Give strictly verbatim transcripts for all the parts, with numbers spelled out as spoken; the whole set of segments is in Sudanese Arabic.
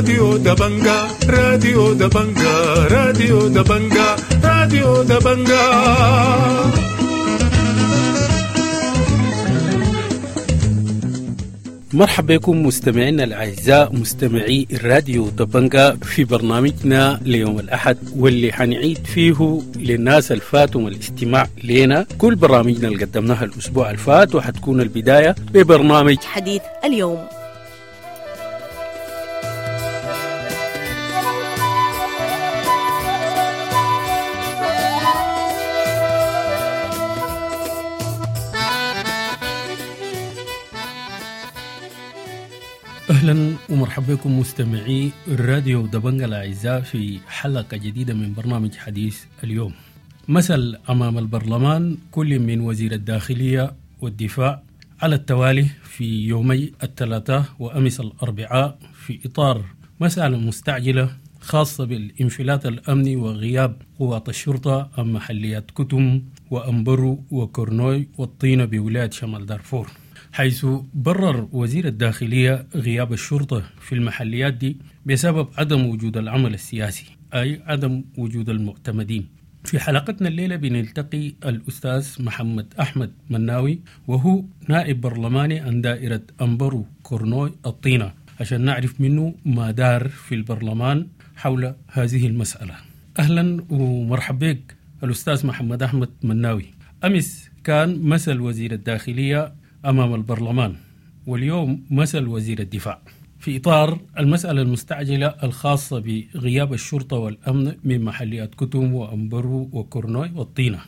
راديو دبنجا راديو دبنجا راديو دبنجا راديو دبنجا. مرحبا بكم مستمعينا الأعزاء مستمعي الراديو دبنجا في برنامجنا ليوم الأحد، واللي حنعيد فيه للناس الفاتهم الاستماع لنا كل برامجنا اللي قدمناها الأسبوع الفات، وحتكون البداية ببرنامج حديث اليوم. أهلا ومرحبا بكم مستمعي الراديو دبنجا الأعزاء في حلقة جديدة من برنامج حديث اليوم. مثل أمام البرلمان كل من وزير الداخلية والدفاع على التوالي في يومي الثلاثاء وأمس الأربعاء في إطار مسألة مستعجلة خاصة بالانفلات الأمني وغياب قوات الشرطة عن محليات كتم وأمبرو وكورنوي والطينة بولاية شمال دارفور، حيث برر وزير الداخلية غياب الشرطة في المحليات دي بسبب عدم وجود العمل السياسي، أي عدم وجود المعتمدين. في حلقتنا الليلة بنلتقي الأستاذ محمد أحمد مناوي، وهو نائب برلماني عن دائرة أمبرو كورنوي الطينة، عشان نعرف منه ما دار في البرلمان حول هذه المسألة. أهلا ومرحبا بك الأستاذ محمد أحمد مناوي. أمس كان مثل وزير الداخلية أمام البرلمان، واليوم مثل وزير الدفاع في إطار المسألة المستعجلة الخاصة بغياب الشرطة والأمن من محليات كتم وأمبرو وكورنوي والطينة.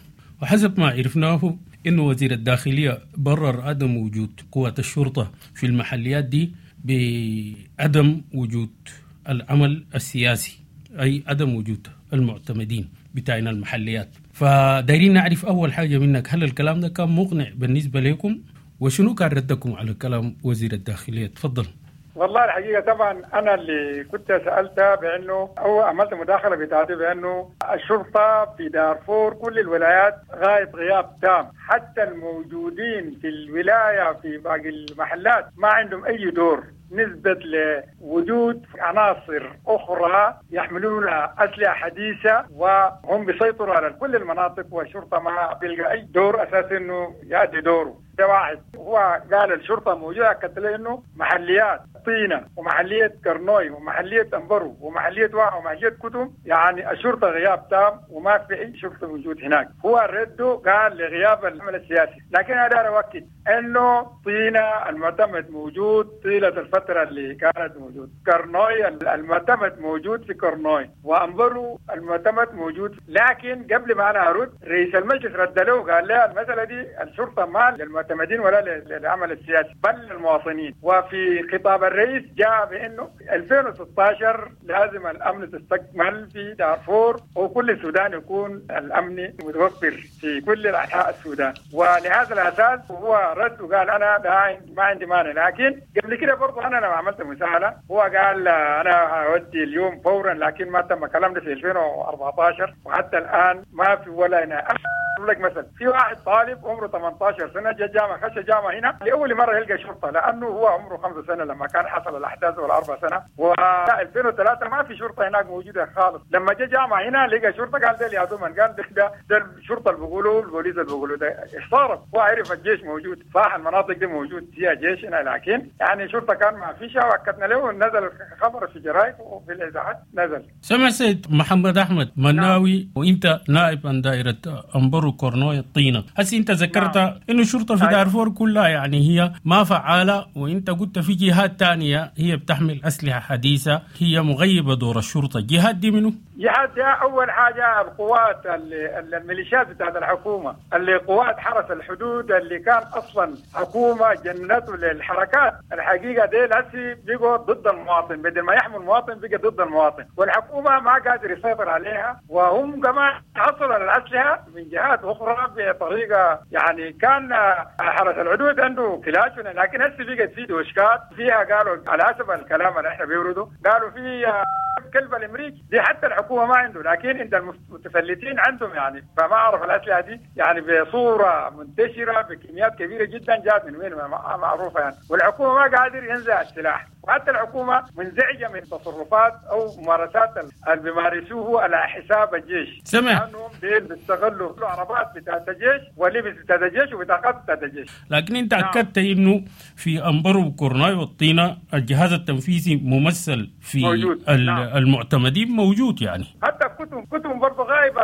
وحسب ما عرفناه إنه وزير الداخلية برر عدم وجود قوات الشرطة في المحليات دي بعدم وجود العمل السياسي، أي عدم وجود المعتمدين بتاعنا المحليات. فدايرين نعرف أول حاجة منك، هل الكلام ده كان مقنع بالنسبة لكم؟ وشنو كان ردكم على كلام وزير الداخلية؟ تفضل. والله الحقيقة طبعا أنا اللي كنت سألتها بأنه أو عملت مداخلة بتاعتي بأنه الشرطة في دارفور كل الولايات غايب غياب تام، حتى الموجودين في الولاية في باقي المحلات ما عندهم أي دور نسبة لوجود عناصر أخرى يحملون أسلحة حديثة وهم بيسيطروا على كل المناطق، والشرطة ما بيلقى أي دور أساسي إنه يأدي دوره. ده واحد. هو قال الشرطة موجودة، أكدت له إنه محليات طينة ومحلية كرنوي ومحلية أمبرو ومحلية واع ومحلية كتم، يعني الشرطة غياب تام وما في أي شرطة موجود هناك. هو رده قال لغياب العمل السياسي، لكن هذا أؤكد إنه طينة المعتمد موجود طيلة الفترة اللي كانت موجود، كرنوي المعتمد موجود في كرنوي، وأمبرو المعتمد موجود. لكن قبل ما أنا أرد رئيس المجلس رد له قال له المسألة دي الشرطة ما للمعتمدين ولا للعمل السياسي بل للمواطنين. وفي خطاب الرئيس جاء بأنه ألفين وستة عشر لازم الأمن تستكمل في دارفور وكل السودان يكون الأمن متوفر في كل أنحاء السودان. ولهذا الأساس هو رد وقال أنا ما عندي مانع. لكن قبل كده برضه أنا لما عملت مساءلة هو قال أنا أودي اليوم فورا، لكن ما تم كلام في ألفين وأربعة عشر وحتى الآن ما في ولا أنا أقول لك مثلا في واحد طالب عمره ثمانية عشر سنة جاء جامعة، خش جامعة هنا لأول مرة يلقى شرطة، لأنه هو عمره خمسة سنة لما كان حصل الأحداث ولا أربع سنة، و ألفين وثلاثة ما في شرطة هناك موجودة خالص. لما جاء جامعة هنا لقى شرطة قال ده يا دومان، قال ده ده الشرطة اللي بيقولوا البوليس اللي بيقولوا ده احتارت. هو عرف الجيش موجود، صح المناطق دي موجود فيها جيش هنا، لكن يعني شرطة كان ما فيش. وأكدنا له نزل خبر في جرايد وفي الإذاعات نزل. سمع سيد محمد أحمد مناوي. نعم. وأنت نائب عن دائرة أمبرو كورنوي الطينة، هسي أنت ذكرت نعم. إنه الشرطة في دارفور كلها يعني هي ما فعالة، وأنت قلت في جهات تانية هي بتحمل أسلحة حديثة هي مغيبة دور الشرطة. الجهات دي منه؟ جهات دي أول حاجة القوات الميليشيات بتاعت الحكومة، اللي قوات حرس الحدود اللي كان أصلا حكومة جنته للحركات الحقيقة دي هسي بقوا ضد المواطن، بدل ما يحموا المواطن بقى ضد المواطن، والحكومة ما قادر يسيطر عليها، وهم كمان حصلوا على الأسلحة من جهات أخرى بطريقة يعني كان حرس الحدود عنده كلاش، لكن هسي بقت في دوشكات فيها قالوا على حسب الكلام اللي احنا بيوردوا قالوا في كلب الامريكي دي حتى الحكومه ما عنده، لكن عند المتفلتين عندهم يعني. فما اعرف الاسلحه دي يعني بصوره منتشره بكميات كبيره جدا جات من وين ما معروفه يعني، والحكومه ما قادر ينزع السلاح. وحتى الحكومة منزعجه من تصرفات او ممارسات اللي بيمارسوه على حساب الجيش. سمع لانهم ديل بيستغلوا عربات بتاعت الجيش ولبس بتاعت الجيش وبطاقات بتاعت الجيش. لكن انت نعم. اكدت انه في امبرو وكورناي والطينه الجهاز التنفيذي ممثل في موجود. نعم. المعتمدين موجود يعني. حتى كتم كتم برضه غايبة،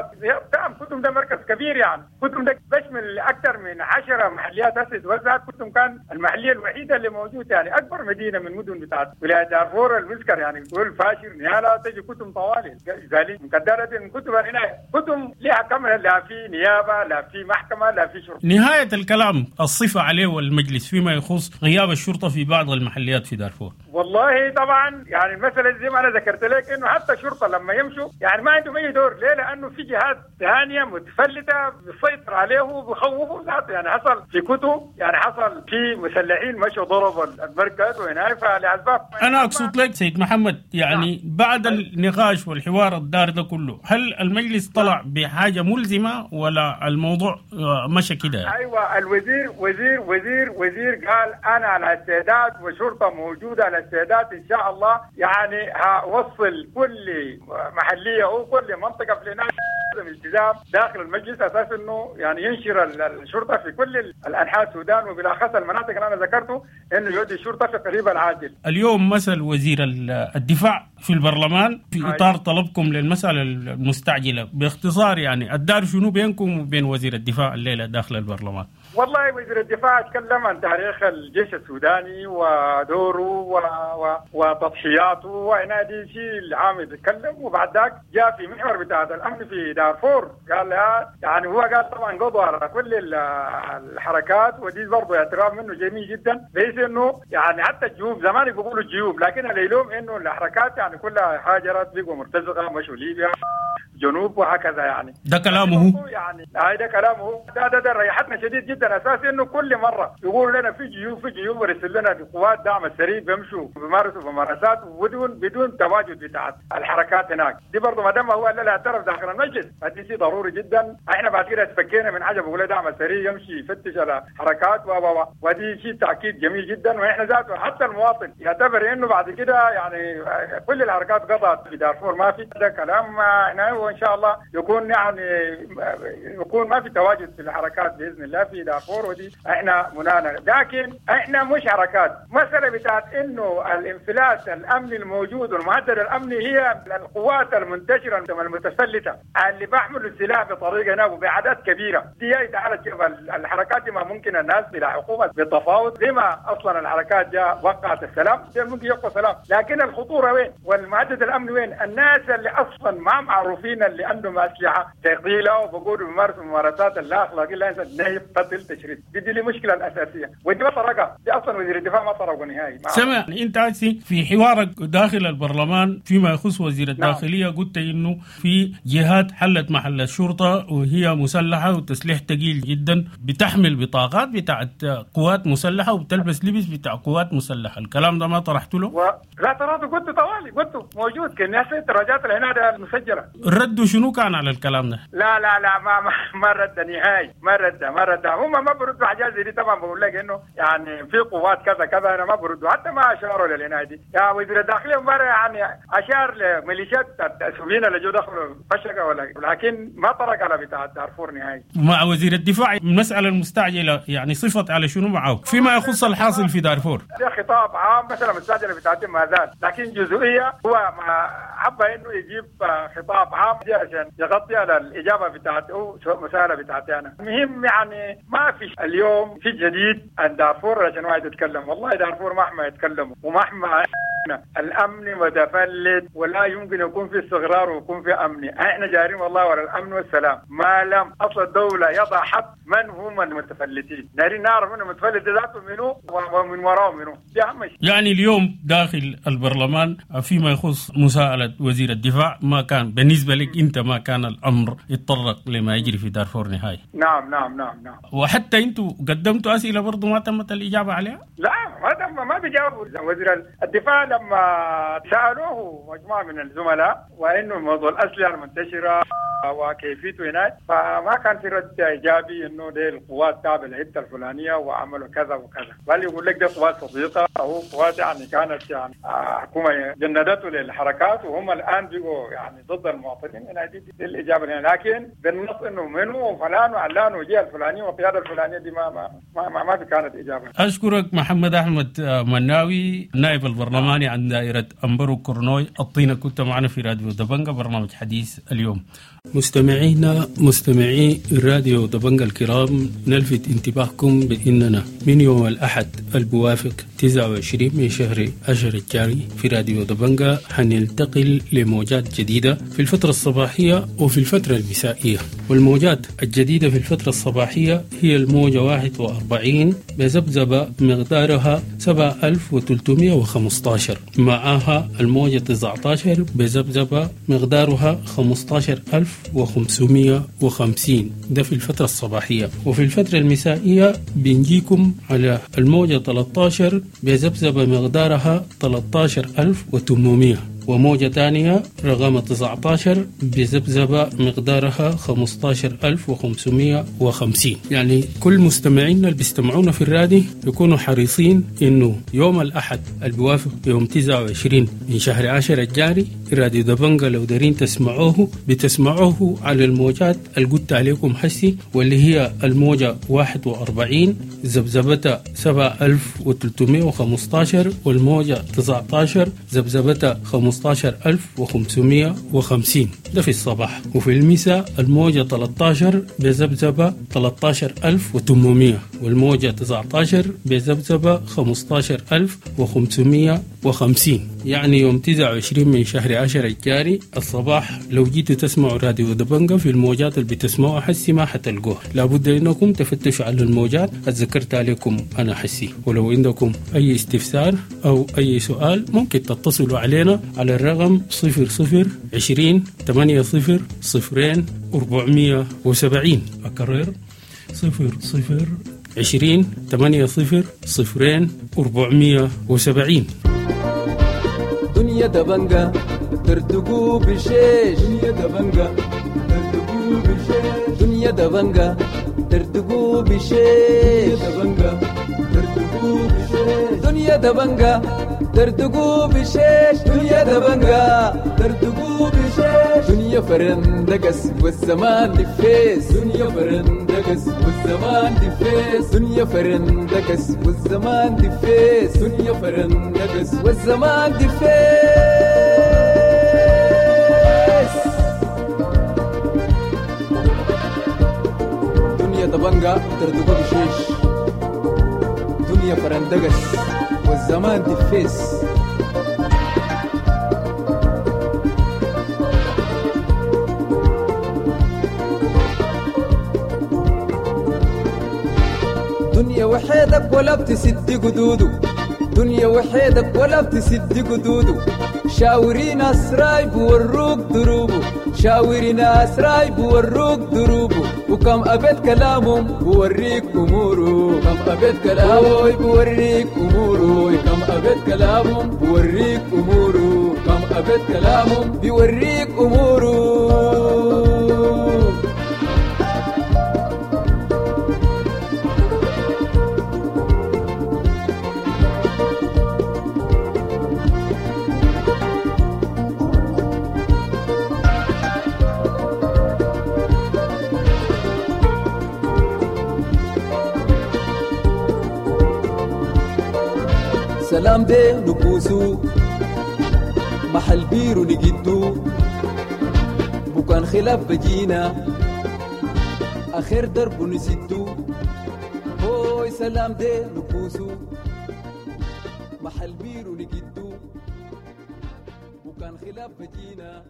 نعم كتم ده مركز كبير يعني، كتم ده بشمل اكثر من عشرة محليات هسه اتوزعت، كتم كان المحلية الوحيدة اللي موجودة يعني، اكبر مدينة من مدن بتاعت ولاية دارفور المسكر يعني، تقول فاشر نيالا تجي كتم طوالي زالي مقدرة كتم هنا كتم لها كاملة، لا في نيابة لا في محكمة لا في شرطه. نهاية الكلام الصفة عليه المجلس فيما يخص غياب الشرطة في بعض المحليات في دارفور. والله طبعا يعني المسألة زي ما انا ذكرت لك انه حتى الشرطة لما يمشوا يعني ما عندهم اي دور، ليه؟ لانه في جهات ثانية متفلته بتسيطر عليه وبخوفوا ذاته يعني. حصل في كتب يعني حصل في مسلحين مشوا ضربوا المركز وهنا فلاسباب. انا اقصد لك سيد محمد يعني نعم. بعد النقاش والحوار الدار ده كله، هل المجلس طلع بحاجة ملزمة ولا الموضوع مشى كده يعني؟ ايوه الوزير وزير وزير وزير قال انا على استعداد وشرطه موجودة على استعداد ان شاء الله، يعني هوصل كل محليه او كل منطقة في الهناك التزام داخل المجلس اساس انه يعني ينشر الشرطة في كل الانحاء السودان وبالاخص المناطق اللي انا ذكرته انه يودي الشرطة في قريب العاجل. اليوم مثل وزير الدفاع في البرلمان في اطار طلبكم للمسالة المستعجله، باختصار يعني الدار شنو بينكم وبين وزير الدفاع الليلة داخل البرلمان؟ والله وزير الدفاع تكلم عن تاريخ الجيش السوداني ودوره و... و... وتضحياته وهنا دي شيء العام يتكلم، وبعد ذاك جاء في محور بتاع الامن في دارفور قال يعني هو قال طبعا قضوا على كل الحركات، ودي برضه اعتراف منه جميل جدا، بحيث انه يعني حتى الجيوب زمان بيقولوا الجيوب، لكن اللي يلوم انه الحركات يعني كلها هاجرت بقوا مرتزقة مشوا ليبيا جنوب وهكذا يعني. ده كلامه يعني ده كلامه ده ده, ده ريحتنا شديد جدا، اساس انه كل مرة يقولوا لنا في جيوب في جيوب ورسل لنا قوات دعم السريع بيمشوا بيمارسوا ممارسات بدون بدون تواجد بتاعت الحركات هناك، دي برضه ما دام هو لا اعترف داخل المجلس فدي شيء ضروري جدا. احنا بعد كده اتفكينا من حاجة بقول دعم السريع يمشي يفتش على حركات و و ودي شيء تاكيد جميل جدا، واحنا ذاته حتى المواطن يعتبر انه بعد كده يعني كل الحركات قضت في دارفور ما في، ده كلام هنا وان شاء الله يكون يعني يكون ما في تواجد في الحركات باذن الله في دارفور، ودي احنا منانا. لكن احنا مش حركات، مسالة بتاعت انه الانفلات الامني الموجود والمهدد الامني هي القوات المنتشرة المتسلته اللي بيحملوا السلاح بطريقة هنا وباعداد كبيرة، دي تعالى الحركات دي ما ممكن الناس بلا حكومة بالتفاوض زي ما اصلا الحركات جاء وقعت السلام ممكن يبقى سلام، لكن الخطورة وين والمهدد الامني وين؟ الناس اللي اصلا ما معروفين اللي عندهم اسلحة ثقيلة وبقولوا بيمارسوا ممارسات اللا اخلاقية لا نهب قتل تشريد، دي دي المشكلة الاساسية ودي ما طرقها، دي اصلا وزير الدفاع ما طرقه نهائي. سمع انت عايز في حوارك داخل البرلمان فيما يخص وزير الداخلية نعم. قلت انه في جهات حلت محل الشرطة وهي مسلحة وتسليح ثقيل جدا، بتحمل بطاقات بتاعت قوات مسلحة وبتلبس لبس بتاع قوات مسلحة، الكلام ده ما طرحت له؟ و... لا طرحته، قلت طوالي قلت موجود كان ناس التراجعات اللي هنا المسجلة. الرد شنو كان على الكلام ده؟ لا لا لا ما ما, ما رد نهائي، ما رد ما رد، هم ما بردوا حاجات زي دي طبعا. بقول لك انه يعني في قوات كذا كذا انا ما بردوا، حتى ما اشاروا للهنا دي. يا وزير الداخلية امبارح يعني اشار لميليشيات السوريين اللي جو دخلوا فشقه ولا، لكن ما طرق على بتاع دارفور نهائي. مع وزير الدفاع المسالة المستعجله يعني صفت على شنو معه فيما يخص الحاصل في دارفور؟ ده خطاب عام مثلا المستعجله بتاعتهم ما زال، لكن جزئية هو ما حب انه يجيب خطاب عام عشان يغطي على الاجابة بتاعته مسالة بتاعتي انا. المهم يعني ما في اليوم في جديد عن دارفور عشان واحد يتكلم، والله دارفور مهما يتكلموا ومهما الامن متفلت ولا يمكن يكون في استقرار ويكون في امن، احنا جارين والله ورا الامن والسلام، ما لم اصل الدولة يضع حد من هم المتفلتين، نارين نعرف من المتفلت ذاته منو ومن وراه منو، دي اهم شيء. يعني اليوم داخل البرلمان فيما يخص مساءله وزير الدفاع ما كان بالنسبة لك انت ما كان الامر يتطرق لما يجري في دارفور نهائي. نعم نعم نعم نعم. وحتى انتم قدمتوا اسئلة برضه ما تمت الاجابة عليها؟ لا ما تم ما بيجاوبوا. وزير الدفاع لما سألوه مجموعة من الزملاء وإنه موضوع الأسلحة المنتشرة وكيفيته هناك، فما كان في رد إيجابي إنه دي القوات تابعة للحتة الفلانية وعملوا كذا وكذا، بل يقول لك دي قوات صديقة أو قوات يعني كانت يعني حكومة جندته للحركات وهم الآن بقوا يعني ضد المواطنين. هنا دي, دي الإجابة هنا، لكن بالنص إنه منو وفلان وعلان وجهة الفلانية والقيادة الفلانية دي ما ما ما, ما في كانت إجابة. أشكرك محمد أحمد مناوي، نائب البرلماني عن دائرة أمبرو كورنوي الطينة، كنت معنا في راديو دبنجة برنامج حديث اليوم. مستمعينا مستمعي راديو دبنجة الكرام، نلفت انتباهكم بأننا من يوم الأحد البوافق تسعة وعشرين من شهر عشر الجاري في راديو دبنجة حننتقل لموجات جديدة في الفترة الصباحية وفي الفترة المسائية. والموجات الجديدة في الفترة الصباحية هي الموجة واحد وأربعين بذبذبة مقدارها سبعة آلاف وثلاثمائة وخمسة عشر، معها الموجة تسعة عشر بذبذبة مقدارها خمسة عشر ألف وخمسمائة وخمسين، ده في الفترة الصباحية. وفي الفترة المسائية بنجيكم على الموجة ثلاثة عشر بذبذبة مقدارها ثلاثة عشر ألف وثمانمائة، وموجة تانية رقم تسعة عشر بذبذبة مقدارها خمسة عشر ألف وخمسمائة وخمسين. يعني كل مستمعينا اللي بيستمعونا في الرادي يكونوا حريصين إنه يوم الأحد البوافق يوم تسعة وعشرين من شهر عشرة الجاري راديو دبنجة لو دارين تسمعوه بتسمعوه على الموجات اللي قلت عليكم حسي، واللي هي الموجة واحد وأربعين ذبذبتها سبعة ألف وثلاثمائة وخمسة عشر، والموجة تسعة عشر ذبذبتها خمسة عشر ألف وخمسمائة وخمسين، ده في الصباح. وفي المساء الموجة ثلاثة عشر بذبذبة ثلاثة عشر ألف وثمانمائة، والموجة تسعة عشر بذبذبة خمسة عشر ألف وخمسمائة وخمسين. يعني يوم تسعة وعشرين من شهر عشرة الجاري الصباح لو جيتوا تسمعوا راديو دبنجة في الموجات اللي بتسمعوها حسي ما حتلقوها، لابد انكم تفتشوا على الموجات اتذكرت عليكم انا حسي. ولو عندكم اي استفسار او اي سؤال ممكن تتصلوا علينا على الرقم صفر صفر عشرين ثمانية صفر صفرين أربعمية وسبعين. أكرر صفر صفر عشرين ثمانية صفر صفرين أربعمية وسبعين. دنيا دبنجة ترتقو بشيش، دنيا دبنجة ترتقو بشيش، دنيا دبنجة ترتقو بشيش، دبنجة ترتقو بشيش، دنيا دبنجة ترتقو بشيش، دنيا دبنجة ترتقو بشيش، دنيا فرندقس والزمان دفيس، دنيا فرندقس والزمان دفيس، دنيا فرندقس والزمان دفيس، دنيا فرندقس والزمان دفيس. دنيا دبنجة ترتقو بشيش، دنيا فرندقس والزمان دفيس. دنيا وحيدك ولا بتسد قدوده، دنيا وحيدك ولا بتسد قدوده، شاوري ناس رايب وروك دروبه، شاوري ناس رايب وروك دروبه، وكم أبيت كلامهم بوريك أموره، كم أبيت كلامه بوريك أموره، كم أبيت كلامهم بوريك أموره، كم أبيت كلامهم بيوريك أموره. سلام دي نبوسو محل بيرو نجدو، بكان خلاف بجينا آخر درب نسدو، هوي سلام دي نبوسو محل بيرو نجدو، بكان خلاف بجينا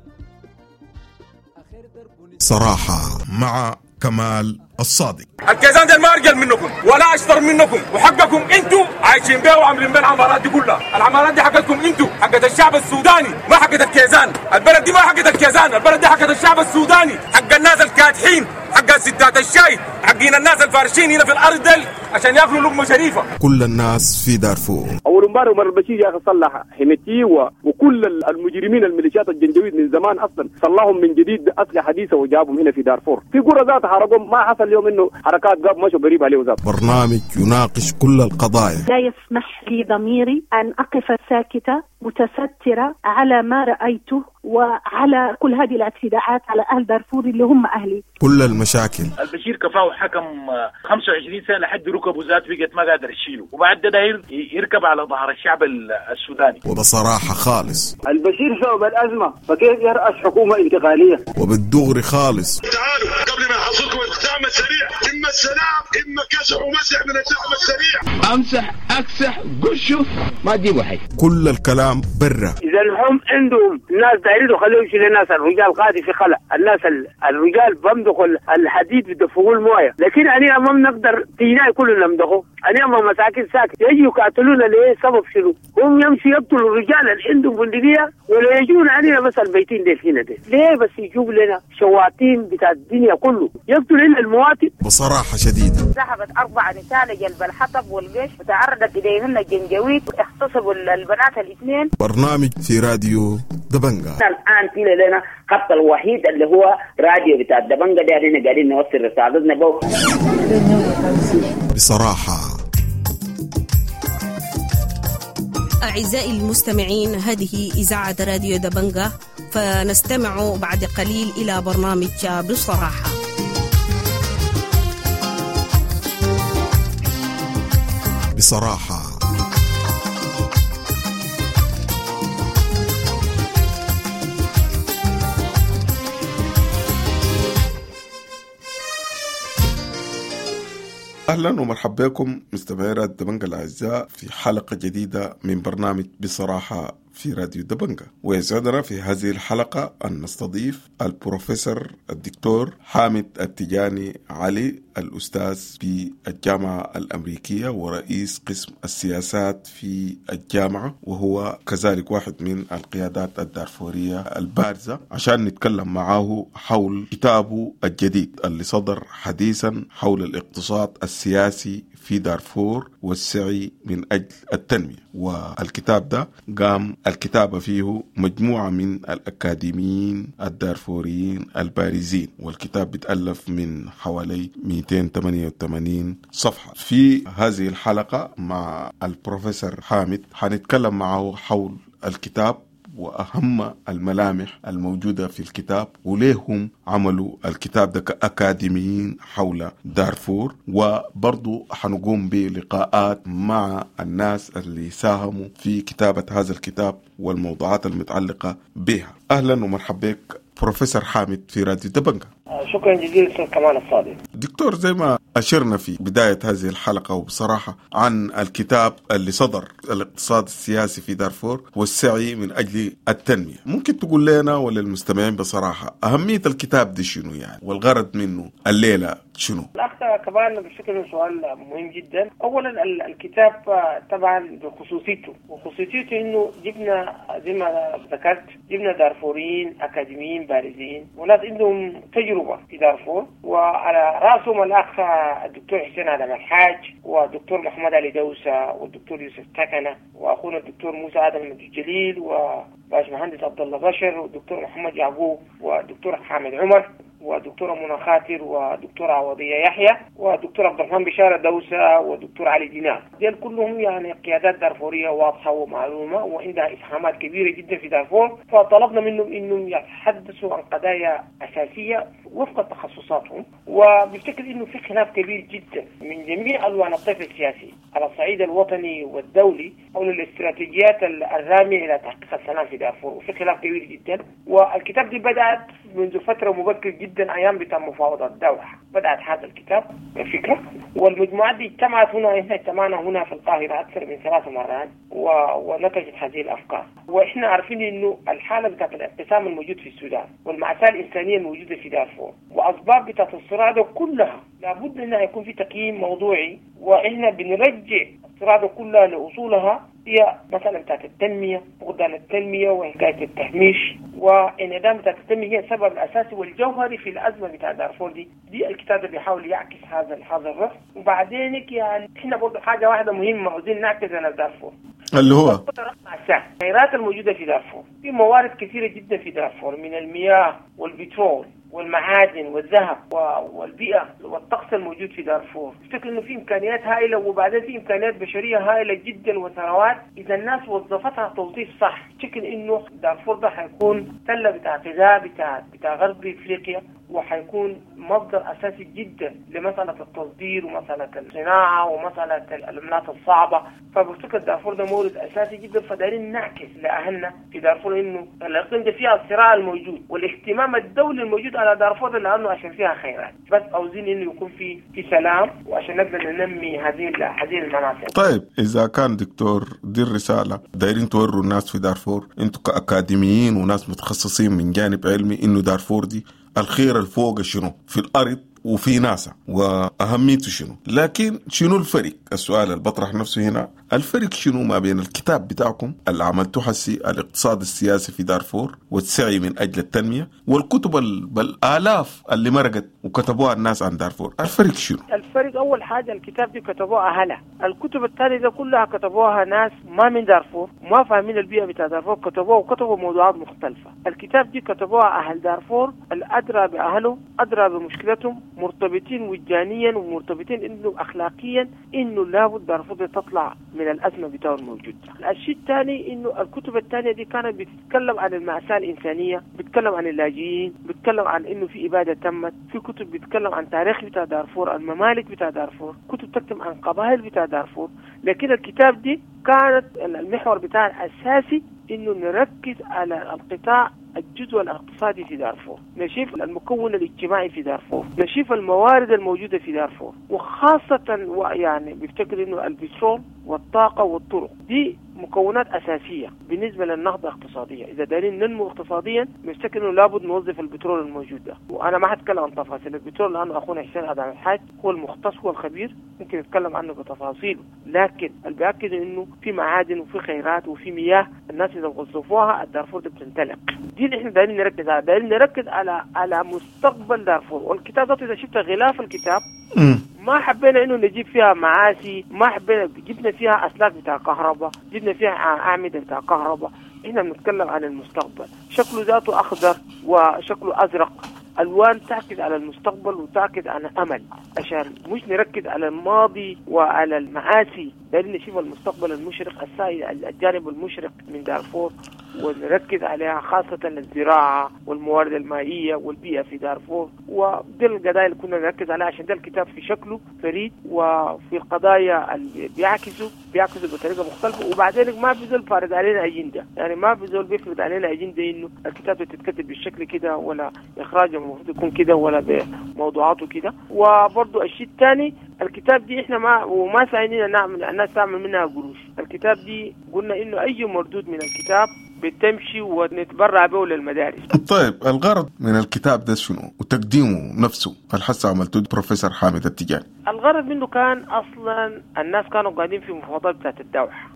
آخر درب نسدو. صراحة مع كمال الصادق. الكيزان ده ما ارجل منكم ولا اشطر منكم، وحقكم انتوا عايشين بيه وعاملين بيه العمارات دي كلها. العمارات دي حقتكم انتوا، حقت الشعب السوداني، ما حقت الكيزان. البلد دي ما حقت الكيزان، البلد دي حقت الشعب السوداني، حق الناس الكادحين، حق ستات الشاي، حقين الناس الفارشين هنا في الارض دي عشان ياكلوا لقمه شريفه. كل الناس في دارفور. اول امبارح عمر البشير يا اخي صلح حميتي وكل المجرمين الميليشيات الجنجويد من زمان اصلا صلحهم من جديد باسلحه حديثه وجابهم هنا في دارفور. في قرى ذات حرقهم، ما حصل اليوم انه حركات قاب مشوا قريب عليه ذات. برنامج يناقش كل القضايا. لا يسمح لي ضميري ان اقف ساكته متسترة على ما رأيته وعلى كل هذه الاعتداءات على أهل دارفور اللي هم أهلي. كل المشاكل. البشير كفاه حكم خمسة وعشرين سنة لحد ركبه ذات بقت ما قادر يشيله، وبعد ده داير يركب على ظهر الشعب السوداني. وبصراحة خالص البشير سبب الأزمة، فكيف يرأس حكومة انتقالية؟ وبالدغري خالص. تعالوا قبل ما يحصلكم الدعم السريع، إما السلام إما كسح ومسح من الدعم السريع. أمسح أكسح قشه ما تجيبوا حي. كل الكلام برا. إذا هم عندهم ناس دايرين خليهم يشيلوا الناس، الرجال قاعد في خلع، الناس الرجال بمدخوا الحديد بدفقوا المويه، لكن أنا ما بنقدر تينا كلنا نمدخه، أنا ما مساكن ساكت يجوا يقاتلونا ليه؟ سبب شنو؟ هم يمشي يقتلوا الرجال اللي عندهم بندقية ولا يجون علينا بس البيتين دي هنا دي، ليه بس يجيب لنا شواطين بتاع الدنيا كله يقتل لنا المواطن؟ بصراحة شديدة. ذهبت أربع نساء لجلب الحطب والجيش وتعرضت إليهن الجنجويد واغتصبوا البنات الاثنين. برنامج في راديو دبنجا. الآن في لنا خط الوحيد اللي هو راديو بتاع دبنجا ده، احنا قاعدين نوصل رسالتنا بو بصراحة. أعزائي المستمعين، هذه إذاعة راديو دبنجا، فنستمع بعد قليل إلى برنامج بصراحة. بصراحة أهلا ومرحبا بكم مستمعي راديو دبنجا الأعزاء في حلقة جديدة من برنامج بصراحة في راديو دبنجا. ويسعدنا في هذه الحلقة أن نستضيف البروفيسور الدكتور حامد التجاني علي، الأستاذ في الجامعة الأمريكية ورئيس قسم السياسات في الجامعة، وهو كذلك واحد من القيادات الدارفورية البارزة، عشان نتكلم معه حول كتابه الجديد اللي صدر حديثا حول الاقتصاد السياسي في دارفور والسعي من أجل التنمية. والكتاب ده قام الكتابة فيه مجموعة من الأكاديميين الدارفوريين البارزين، والكتاب بيتألف من حوالي مئتين وثمانية وثمانين صفحة. في هذه الحلقة مع البروفيسور حامد حنتكلم معه حول الكتاب وأهم الملامح الموجودة في الكتاب، وليهم عملوا الكتاب ده كأكاديميين حول دارفور، وبرضو حنقوم بلقاءات مع الناس اللي ساهموا في كتابة هذا الكتاب والموضوعات المتعلقة بها. أهلا ومرحبا بك بروفيسور حامد في راديو دبنجا. شكرا جزيلا استاذ كمال الصادق. دكتور، زي ما أشرنا في بداية هذه الحلقة وبصراحة عن الكتاب اللي صدر الاقتصاد السياسي في دارفور والسعي من أجل التنمية، ممكن تقول لنا وللمستمعين بصراحة أهمية الكتاب دي شنو يعني، والغرض منه الليلة شنو؟ الأخ كمان بشكل سؤال مهم جدا. أولا الكتاب طبعا بخصوصيته، وخصوصيته إنه جبنا زي ما ذكرت جبنا دارفوريين أكاديميين بارزين وناس عندهم تجربة في دارفور، وعلى رأسهم الأخ الدكتور حسين آدم الحاج والدكتور محمد علي دوسة والدكتور يوسف تكنة وأخونا الدكتور موسى آدم الجليل وباش مهندس عبد الله بشر والدكتور محمد يعقوب والدكتور حامد عمر ودكتورة منى خاطر ودكتورة عوضية يحيى ودكتور عبد الرحمن بشارة دوسة ودكتور علي دينار. ديل كلهم يعني قيادات دارفورية واضحة ومعلومة وعندها إسهامات كبيرة جدا في دارفور، فطلبنا منهم إنهم يتحدثوا عن قضايا أساسية وفق تخصصاتهم. وبفتكر إنه في خلاف كبير جدا من جميع ألوان الطيف السياسي على الصعيد الوطني والدولي حول الاستراتيجيات الرامية إلى تحقيق السلام في دارفور، وفي خلاف كبير جدا. والكتاب دي بدأت منذ فترة مبكر جدا أيام بتاع مفاوضات الدوحة، بدأت هذا الكتاب الفكرة، والمجموعات دي اجتمعت هنا، احنا اجتمعنا هنا في القاهرة أكثر من ثلاث مرات و... ونتجت هذه الأفكار. وإحنا عارفين إنه الحالة بتاعت الانقسام الموجود في السودان والمأساة الإنسانية الموجودة في دارفور وأسباب بتاعت الصراع ده كلها لابد إنها يكون في تقييم موضوعي، وإحنا بنرجع الصراع ده كلها لأصولها، هي مثلا بتاعت التنمية، فقدان التنمية وحكاية التهميش وانعدام بتاعت التنمية هي السبب الأساسي والجوهري في الأزمة بتاع دارفور دي. دي الكتاب ده بيحاول يعكس هذا هذا الرف. وبعدين يعني احنا برضه حاجة واحدة مهمة عاوزين نعكس على دارفور، اللي هو الخيرات الموجودة في دارفور، في موارد كثيرة جدا في دارفور من المياه والبترول والمعادن والذهب والبيئة والطقس الموجود في دارفور. افتكر انه في امكانيات هائلة، وبعدين في امكانيات بشرية هائلة جدا وثروات اذا الناس وظفتها توظيف صح. افتكر انه دارفور ده حيكون تلة بتاع غذاء بتاع بتاع غرب افريقيا، وحيكون مصدر اساسي جدا لمسألة التصدير ومسألة الصناعة ومسألة العملات الصعبة. فبفتكر دارفور ده مورد اساسي جدا، فدايرين نعكس لاهلنا في دارفور انه الاقليم ده فيها الصراع الموجود والاهتمام الدولي الموجود على دارفور لانه عشان فيها خيرات، بس عاوزين انه يكون في في سلام وعشان نقدر ننمي هذه هذه المناطق. طيب اذا كان دكتور دي الرسالة دايرين توروا الناس في دارفور، انتم كاكاديميين وناس متخصصين من جانب علمي، انه دارفور دي الخير الفوق شنو في الارض وفي ناسا واهميته شنو، لكن شنو الفرق؟ السؤال اللي بطرح نفسه هنا، الفرق شنو ما بين الكتاب بتاعكم اللي عملتوه حسي الاقتصاد السياسي في دارفور والسعي من اجل التنمية، والكتب بالالاف اللي مرقت وكتبوها الناس عن دارفور، الفرق شنو؟ الفرق اول حاجة الكتاب دي كتبوها اهلها، الكتب الثانية دي كلها كتبوها ناس ما من دارفور، ما فاهمين البيئة بتاع دارفور، كتبوها وكتبوا موضوعات مختلفة. الكتاب دي كتبوها اهل دارفور الادرى باهلهم، ادرى بمشكلتهم، مرتبطين وجدانيا ومرتبطين انه اخلاقيا انه لابد دارفور تطلع من الازمة بتاعه الموجود. الشيء الثاني انه الكتب الثانية دي كانت بتتكلم عن المأساة الانسانية، بتتكلم عن اللاجئين، بتتكلم عن انه في ابادة تمت، في كتب بتتكلم عن تاريخ بتاع دارفور، الممالك بتاع دارفور، كتب تكتب عن قبائل بتاع دارفور. لكن الكتاب دي كانت المحور بتاعها الاساسي انه نركز على القطاع الجزء الاقتصادي في دارفور، نشوف المكون الاجتماعي في دارفور، نشوف الموارد الموجودة في دارفور، وخاصة يعني بيفتكر انه البترول والطاقة والطرق دي مكونات أساسية بالنسبة للنهضة الاقتصادية. إذا دارين ننمو اقتصاديا بنفتكر إنه لابد نوظف البترول الموجود ده. وأنا ما هتكلم عن تفاصيل البترول لأنه أخونا حسين آدم الحاج هو المختص هو الخبير ممكن يتكلم عنه بتفاصيله، لكن اللي بيأكد إنه في معادن وفي خيرات وفي مياه، الناس إذا وظفوها الدارفور دي بتنطلق. دي اللي إحنا دايرين نركز على دايرين نركز على على مستقبل دارفور. والكتاب ده إذا شفت غلاف الكتاب ما حبينا انه نجيب فيها معاسي، ما حبينا، جبنا فيها اسلاك بتاع كهرباء، جبنا فيها اعمدة بتاع كهرباء. احنا بنتكلم عن المستقبل، شكله ذاته اخضر وشكله ازرق، الوان تعكس على المستقبل وتعكس على امل، عشان مش نركز على الماضي وعلى المعاسي، دايرين نشوف المستقبل المشرق، السائل الجانب المشرق من دارفور ونركز عليها، خاصة الزراعة والموارد المائية والبيئة في دارفور. ودي القضايا اللي كنا نركز عليها، عشان ده الكتاب في شكله فريد وفي القضايا اللي بيعكسوا بيعكسوا بطريقة مختلفة. وبعدين ما في زول فارض علينا أجندة، يعني ما في زول بيفرض علينا أجندة إنه الكتاب تتكتب بالشكل كده ولا إخراجه المفروض يكون كده ولا بموضوعاته كده. وبرضه الشيء الثاني الكتاب دي إحنا ما وما سعينا نعمل الناس تعمل منها قروش. الكتاب دي قلنا إنه أي مردود من الكتاب بتمشي ونتبرع به للمدارس. طيب الغرض من الكتاب ده شنو وتقديمه نفسه الحس عملته بروفيسور حامد التجاني؟ الغرض منه كان اصلا الناس كانوا قاعدين في مفاوضات بتاعت الدوحة.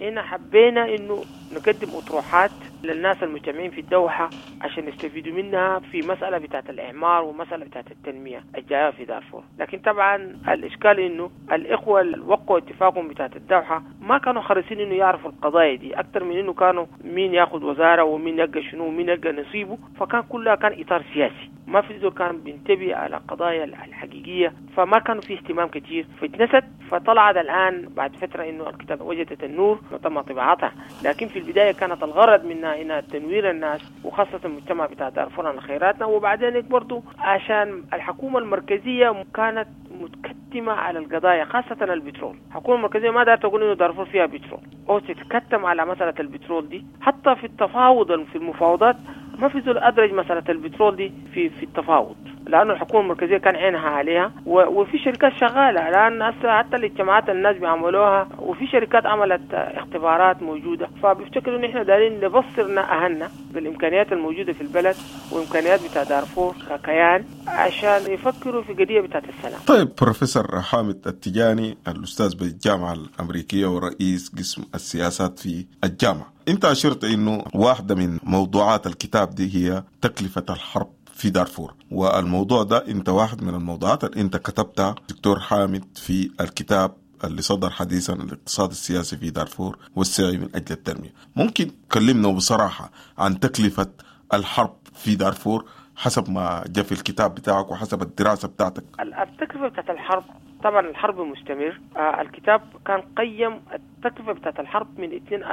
هنا حبينا انه نقدم اطروحات للناس المجتمعين في الدوحة عشان يستفيدوا منها في مسألة بتاعت الإعمار ومسألة بتاعت التنمية الجاية في دارفور. لكن طبعا الإشكال إنه الإخوة اللي وقعوا اتفاقهم بتاعت الدوحة ما كانوا حريصين إنه يعرفوا القضايا دي أكثر من إنه كانوا مين ياخذ وزارة ومين يلقى شنو ومين يلقى نصيبه، فكان كلها كان إطار سياسي، ما في زول كان بينتبه على القضايا الحقيقية، فما كانوا في اهتمام كتير، فاتنست. فطلعت الآن بعد فترة إنه الكتاب وجدت النور وتم طباعتها، لكن في البداية كانت الغرض منها إنها تنوير الناس وخاصة المجتمع بتاع دارفور عن خيراتنا. وبعدين برضو عشان الحكومة المركزية كانت متكتمة على القضايا خاصة البترول، الحكومة المركزية ما دارت تقول إنه دارفور فيها بترول أو تتكتم على مسألة البترول دي. حتى في التفاوض في المفاوضات ما في زول أدرج مسألة البترول دي في في التفاوض، لأنه الحكومة المركزية كان عينها عليها، وفي شركات شغالة الآن حتى الاجتماعات الناس بيعملوها، وفي شركات عملت اختبارات موجودة. فبيفتكروا إن إحنا دارين نبصرنا أهلنا بالإمكانيات الموجودة في البلد وإمكانيات بتاع دارفور ككيان عشان يفكروا في قضية بتاعت السلام. طيب بروفيسور حامد التجاني الأستاذ بالجامعة الأمريكية ورئيس قسم السياسات في الجامعة، أنت أشرت إنه واحدة من موضوعات الكتاب دي هي تكلفة الحرب في دارفور، والموضوع ده انت واحد من الموضوعات اللي انت كتبتها دكتور حامد في الكتاب اللي صدر حديثا، الاقتصاد السياسي في دارفور والسعي من أجل التنمية. ممكن تكلمنا بصراحة عن تكلفة الحرب في دارفور حسب ما جاء في الكتاب بتاعك وحسب الدراسة بتاعتك؟ التكلفة بتاعت الحرب، طبعا الحرب مستمر. آه الكتاب كان قيم التكلفة بتاعت الحرب من ألفين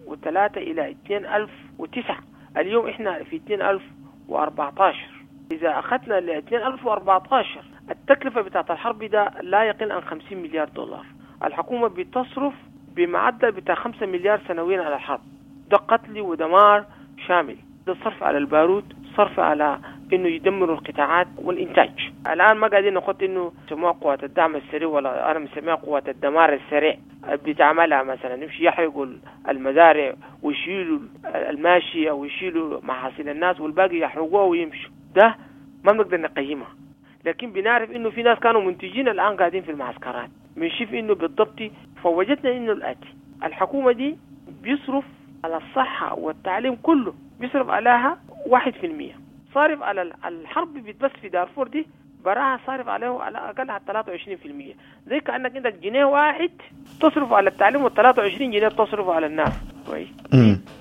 وثلاثة إلى ألفين وتسعة، اليوم إحنا في ألفين وأربعة عشر. إذا أخذنا ل ألفين وأربعة عشر التكلفة بتاعت الحرب ده لا يقل عن خمسين مليار دولار. الحكومة بتصرف بمعدل بتاع خمسة مليار سنويا على الحرب. ده قتل ودمار شامل، ده صرف على البارود، صرف على انه يدمروا القطاعات والانتاج. الان ما قاعدين نخط انه يسموها قوات الدعم السريع، ولا انا مسميها قوات الدمار السريع بتعملها، مثلا يمشي يحرقوا المزارع ويشيلوا الماشية ويشيلوا محاصيل الناس والباقي يحرقوها ويمشوا. ده ما بنقدر نقيمها، لكن بنعرف انه في ناس كانوا منتجين الان قاعدين في المعسكرات. بنشوف انه بالضبط فوجدنا انه الاتي: الحكومة دي بيصرف على الصحة والتعليم كله بيصرف عليها واحد في المية، صارف على الحرب بس في دارفور دي براها صارف عليه على أقل ثلاثة وعشرين في المية. زي كأنك عندك جنيه واحد تصرف على التعليم والثلاثة وعشرين جنيه تصرف على الناس. كويس،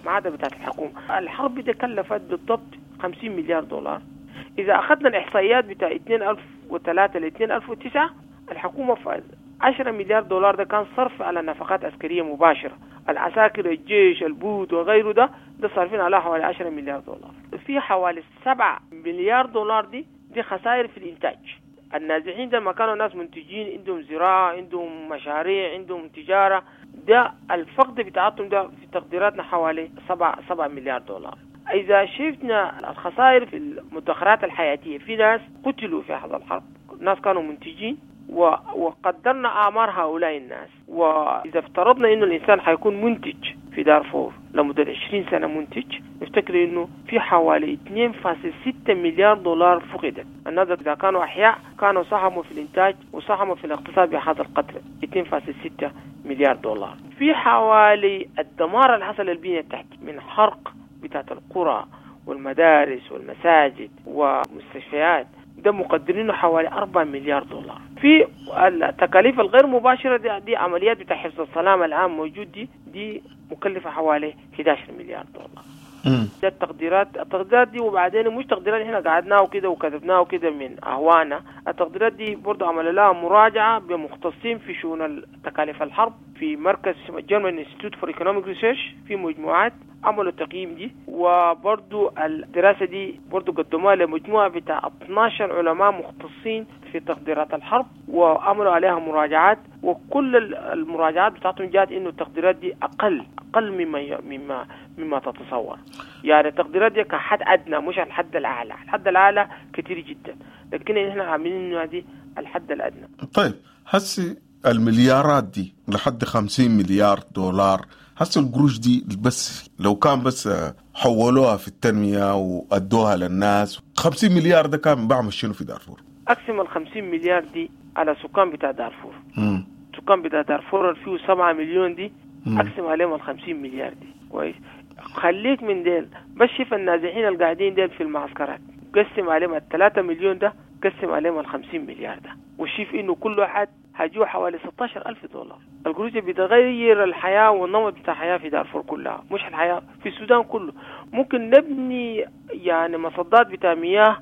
ما عدا بتاعت الحكومة. الحرب دي كلفت بالضبط خمسين مليار دولار. إذا أخذنا الإحصائيات بتاع ألفين وثلاثة ل ألفين وتسعة، الحكومة في عشرة مليار دولار ده كان صرف على نفقات عسكرية مباشرة، العساكر، الجيش، البوت وغيره، ده ده صارفين على حوالي عشرة مليار دولار. في حوالي سبعة مليار دولار دي دي خسائر في الإنتاج. النازحين ده ما كانوا ناس منتجين، عندهم زراعة، عندهم مشاريع، عندهم تجارة، ده الفقد بتاعتهم ده في تقديراتنا حوالي سبعة سبعة مليار دولار. إذا شفنا الخسائر في المدخرات الحياتية، في ناس قتلوا في هذا الحرب، ناس كانوا منتجين، وقدرنا أعمار هؤلاء الناس. وإذا افترضنا إنه الإنسان حيكون منتج في دارفور لمدة عشرين سنة منتج، نفتكر إنه في حوالي اثنين فاصلة ستة مليار دولار فقدت. الناس إذا كانوا أحياء كانوا ساهموا في الإنتاج وساهموا في الاقتصاد بهذا القدر، اثنين فاصلة ستة مليار دولار. في حوالي الدمار اللي حصل للبنية التحتية من حرق بتاعت القرى والمدارس والمساجد ومستشفيات، ده مقدرينه حوالي أربعة مليار دولار. في التكاليف الغير مباشرة دي, دي عمليات بتاع حفظ السلام العام موجود، دي دي مكلفة حوالي إحدى عشر مليار دولار. ده التقديرات، التقديرات دي. وبعدين مش تقديرات احنا قعدناها وكده وكتبناها وكده من اهوانا، التقديرات دي برضه عمل لها مراجعة بمختصين في شؤون تكاليف الحرب في مركز German Institute for Economic Research، في مجموعات عملوا التقييم دي. وبرضو الدراسة دي برضو قدموها لمجموعة بتاع اثناشر علماء مختصين في تقديرات الحرب وعملوا عليها مراجعات، وكل المراجعات بتاعتهم جات انه التقديرات دي اقل اقل مما مما مما تتصور. يعني التقديرات دي كحد ادنى مش الحد الاعلى، الحد الاعلى كتير جدا، لكن احنا عاملين انه دي الحد الادنى. طيب هسي المليارات دي لحد خمسين مليار دولار، هسه القروش دي بس لو كان بس حولوها في التنمية وأدوها للناس، خمسين مليار ده كان بعمل شنو في دارفور؟ أقسم ال خمسين مليار دي على سكان بتاع دارفور. مم. سكان بتاع دارفور فيه سبعة مليون دي، مم. أقسم عليهم ال خمسين مليار دي. كويس، خليك من ديل بس، شوف النازحين القاعدين ديل في المعسكرات، قسم عليهم الثلاثة مليون ده، قسم عليهم ال خمسين مليار ده، وشوف إنه كل واحد هجوا حوالي ستة عشر ألف دولار. القروش بتغير الحياة والنمط بتاع الحياة في دارفور كلها، مش الحياة في السودان كله. ممكن نبني يعني مصدات بتاع مياه،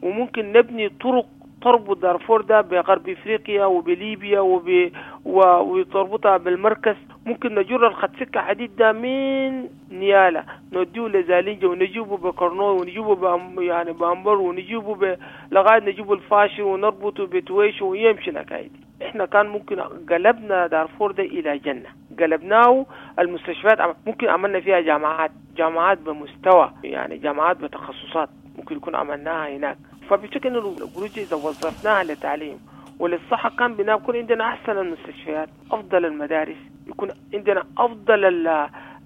وممكن نبني طرق تربط دارفور ده بغرب افريقيا وبليبيا وب... و... وتربطها بالمركز. ممكن نجر الخط سكة حديد ده من نيالا نوديه لزالينجا ونجيبه بكرنوي ونجيبه بأم... يعني بأمبر ونجيبه ب... لغاية نجيبه الفاشر ونربطه بتويش ويمشي الحكاية دي. احنا كان ممكن قلبنا دارفور ده الى جنة، قلبناه المستشفيات ممكن عملنا فيها جامعات، جامعات بمستوى يعني جامعات بتخصصات ممكن يكون عملناها هناك. فبشكل انه القروش اذا وظفناها للتعليم وللصحة كان بنا يكون عندنا احسن المستشفيات، افضل المدارس، يكون عندنا افضل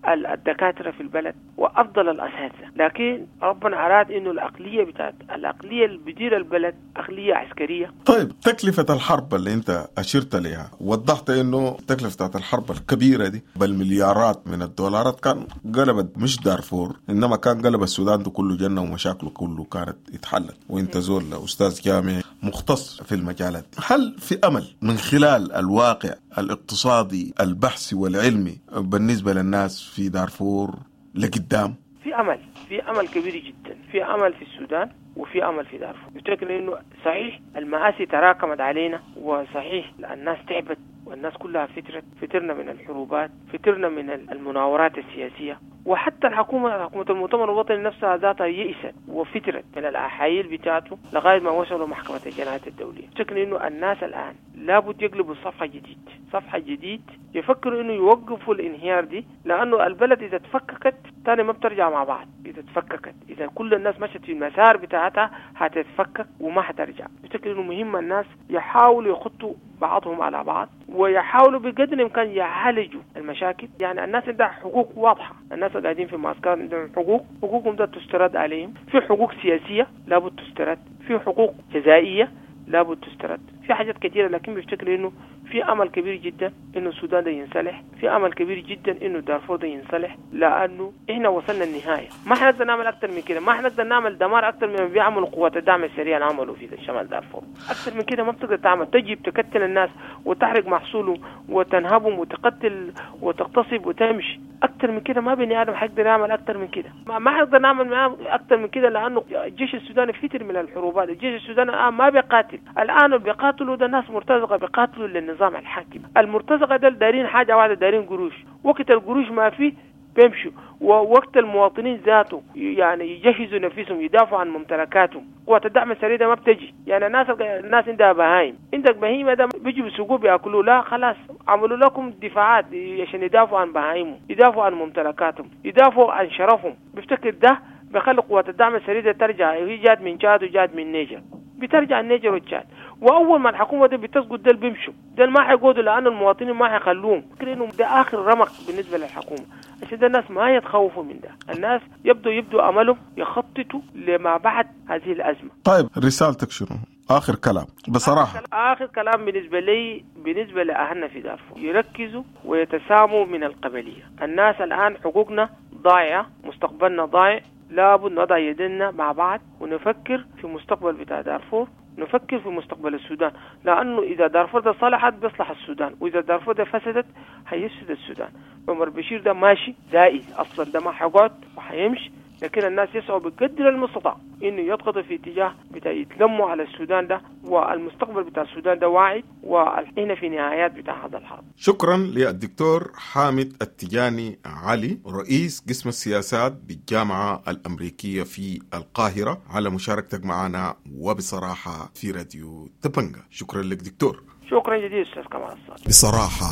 الدكاترة في البلد. وافضل الاساتذه، لكن ربنا اراد انه العقليه بتاعت العقليه اللي بتدير البلد عقليه عسكريه. طيب تكلفة الحرب اللي انت اشرت لها، وضحت انه تكلفة بتاعت الحرب الكبيرة دي بالمليارات من الدولارات كان قلبت مش دارفور، انما كان قلب السودان ده كله جنة ومشاكله كله كانت اتحلت، وانت زول استاذ جامعي مختص في المجالات. هل في امل من خلال الواقع الاقتصادي البحثي والعلمي بالنسبة للناس في دارفور لقدام؟ في امل، في امل كبير جدا، في امل في السودان وفي امل في دارفور. بفتكر انه صحيح المآسي تراكمت علينا، وصحيح الناس تعبت والناس كلها فترت، فترنا من الحروبات، فترنا من المناورات السياسية، وحتى الحكومة حكومة المؤتمر الوطني نفسها ذاتها يئست وفترت من الأحايل بتاعته لغاية ما وصلوا محكمة الجنايات الدولية. افتكر إنه الناس الآن لابد يقلبوا صفحة جديد، صفحة جديد، يفكروا إنه يوقفوا الانهيار دي، لأنه البلد إذا تفككت تاني ما بترجع مع بعض. إذا تفككت، إذا كل الناس مشت في المسار بتاعتها هتتفكك وما هترجع. افتكر إنه مهم الناس يحاولوا يخطوا بعضهم على بعض، ويحاولوا بقدر الإمكان يعالجوا المشاكل. يعني الناس عندها حقوق واضحة، الناس قاعدين في معسكرات عندهم حقوق، حقوقهم ده تسترد عليهم، في حقوق سياسية لابد تسترد، في حقوق جزائية لابد تسترد، في حاجات كثيرة. لكن بفتكر إنه في أمل كبير جدا إنه السودان ده ينصلح، في أمل كبير جدا إنه دارفور ده ينصلح، لأنه إحنا وصلنا النهاية، ما حنقدر نعمل أكثر من كده، ما حنقدر نعمل دمار أكثر مما بيعملوا قوات الدعم السريع اللي عملوا في شمال دارفور، أكثر من كده ما بتقدر تعمل. تجيب تقتل الناس وتحرق محصولهم وتنهبهم وتقتل وتغتصب وتمشي، أكثر من كده ما بني آدم حيقدر يعمل أكثر من كده، ما حنقدر نعمل معاه أكثر من كده، لأنه الجيش السوداني فتر من الحروبات، الجيش السوداني الآن ما بيقاتل، الآن بيقاتلوا ده ناس مرتزقة، بيقاتلوا للنظام الحاكم، المرتزقة ده دارين حاجة واحدة، دارين قروش، وقت القروش ما فيه بيمشوا، ووقت المواطنين ذاته يعني يجهزوا نفسهم يدافعوا عن ممتلكاتهم. قوات الدعم السريع ده ما بتجي، يعني الناس الناس عندها بهايم، عندك بهيمة ده بيجوا بيسوقوه بياكلوه، لا خلاص عملوا لكم دفاعات عشان يدافعوا عن بهايمهم، يدافعوا عن ممتلكاتهم، يدافعوا عن شرفهم. بفتكر ده بيخلي قوات الدعم السريع ده ترجع، هي جات من تشاد وجات من نيجر، بترجع النيجر والتشاد، واول ما الحكومه دي بتسقط ده بيمشوا، ده ما حيقعدوا لانه المواطنين ما حيخلوهم. انه ده اخر رمق بالنسبه للحكومه، عشان ده الناس ما يتخوفوا من ده، الناس يبدو يبدو املهم يخططوا لما بعد هذه الازمه. طيب رسالتك شنو؟ اخر كلام بصراحه. اخر كلام بالنسبه لي، بالنسبه لاهلنا في دارفور، يركزوا ويتساموا من القبليه. الناس الان حقوقنا ضايعه، مستقبلنا ضايع، لابد نضع يدنا مع بعض ونفكر في مستقبل بتاع دارفور، نفكر في مستقبل السودان، لأنه إذا دارفور ده صلحت بيصلح السودان، وإذا دارفور ده فسدت هيفسد السودان. عمر بشير ده ماشي زائد أصلا، ده ما حيقعد وحيمشي، لكن الناس يسعوا بقدر المستطاع إنه يضغطوا في اتجاه بتاع يتلموا على السودان ده، والمستقبل بتاع السودان ده واعد، وإحنا في نهايات بتاع هذا الحرب. شكرا للدكتور حامد التجاني علي، رئيس قسم السياسات بالجامعة الأمريكية في القاهرة، على مشاركتك معنا وبصراحة في راديو دبنجة. شكرا لك دكتور. شكرا جزيلا أستاذ كمال الصادق. بصراحة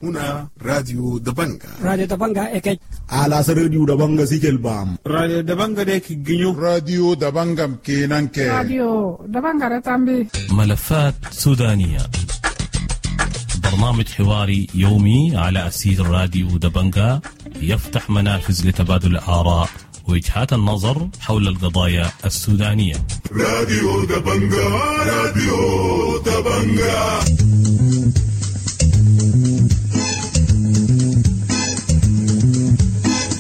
هنا راديو دبنجا، راديو دبنجا إكي على راديو دبنجا سيكل بام، راديو دبنجا ديك جنيو، راديو دبنجا كينانكي، راديو دبنجا رتامبي. ملفات سودانية، برنامج حواري يومي على أسير راديو دبنجا، يفتح منافذ لتبادل الآراء ووجهات النظر حول القضايا السودانية. راديو دبنجا، راديو دبنجا.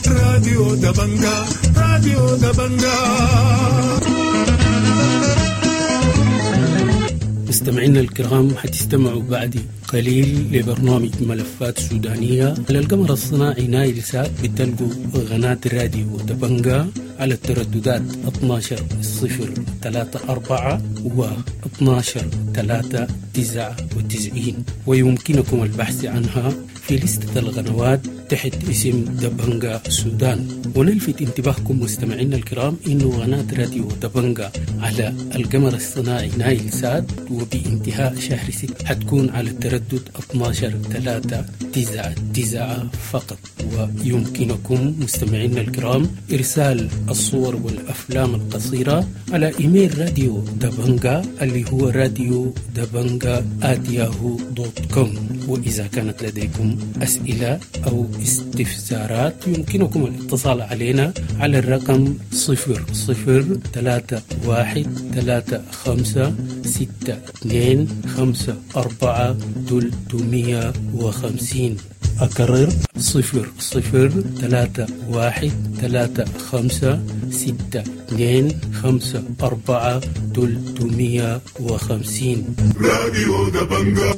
راديو دبنجا، راديو دبنجا. مستمعينا الكرام، حتستمعوا بعد قليل لبرنامج ملفات سودانية على القمر الصناعي نايل سات. بتلقوا قناة راديو دبنجا على الترددات اثنا عشر صفر ثلاثة أربعة و اثنا عشر ثلاثة تسعة وتسعين، ويمكنكم البحث عنها في لستة القنوات تحت اسم دبنجا السودان. ونلفت انتباهكم مستمعينا الكرام إنه قناة راديو دبنجا على القمر الصناعي نايل سات وبانتهاء شهر ستة حتكون على التردد اثناشر ثلاثة تسعة تسعة فقط. ويمكنكم مستمعينا الكرام إرسال الصور والأفلام القصيرة على إيميل راديو دبنجا اللي هو راديو دبنجا آت ياهو دوت كوم. وإذا كانت لديكم أسئلة أو استفسارات يمكنكم الاتصال علينا على الرقم صفر صفر ثلاثة واحد ثلاثة خمسة ستة اثنين خمسة أربعة ثلاثمية وخمسين. أكرر صفر صفر ثلاثة واحد ثلاثة خمسة ستة اثنين خمسة أربعة ثلاثمية وخمسين. راديو دبنجا.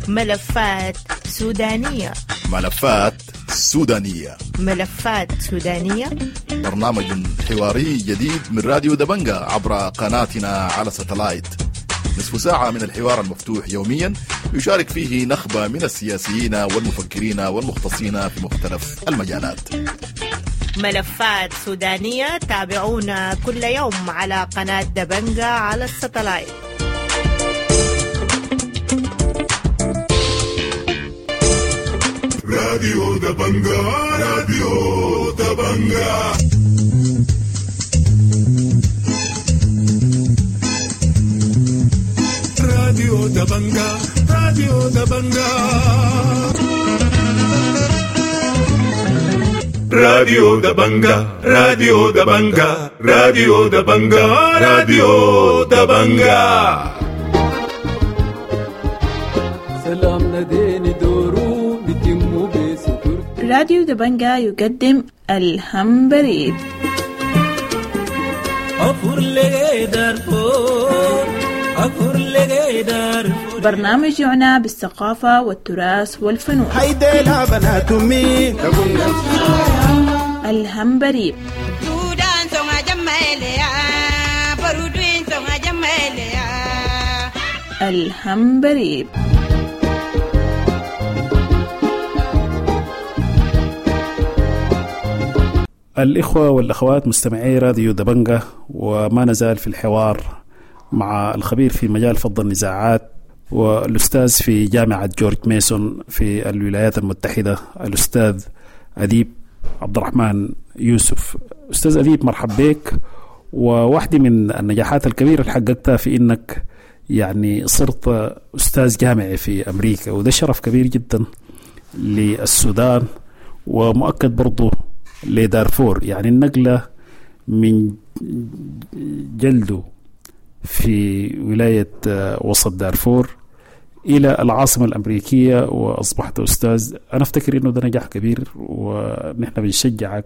ملفات سودانية. ملفات سودانية. ملفات سودانية، برنامج حواري جديد من راديو دبنجا عبر قناتنا على ستلايت. نصف ساعة من الحوار المفتوح يوميا يشارك فيه نخبة من السياسيين والمفكرين والمختصين في مختلف المجالات. ملفات سودانية، تابعونا كل يوم على قناة دبنجا على الستلايت. راديو دبنجا، راديو دبنجا. راديو دبنجا، راديو دبنجا. راديو دبنجا، راديو دبنجا، راديو دبنجا، راديو دبنجا. سلام نديني دورو بتمو بستر. راديو دبنجا يقدم الهمبريب. برنامج يعنى بالثقافة والتراث والفنون. الهمبريب. الهمبريب. الإخوة والأخوات مستمعي راديو دبنجة، وما نزال في الحوار مع الخبير في مجال فض النزاعات والأستاذ في جامعة جورج ميسون في الولايات المتحدة الأستاذ أديب عبد الرحمن يوسف. أستاذ أديب، مرحب بك. وواحدة من النجاحات الكبيرة اللي حققتها في إنك يعني صرت أستاذ جامعي في أمريكا، وده شرف كبير جدا للسودان ومؤكد برضو لدارفور. يعني النقلة من جلده في ولاية وسط دارفور إلى العاصمة الأمريكية وأصبحت أستاذ، أنا أفتكر إنه ده نجاح كبير ونحن بنشجعك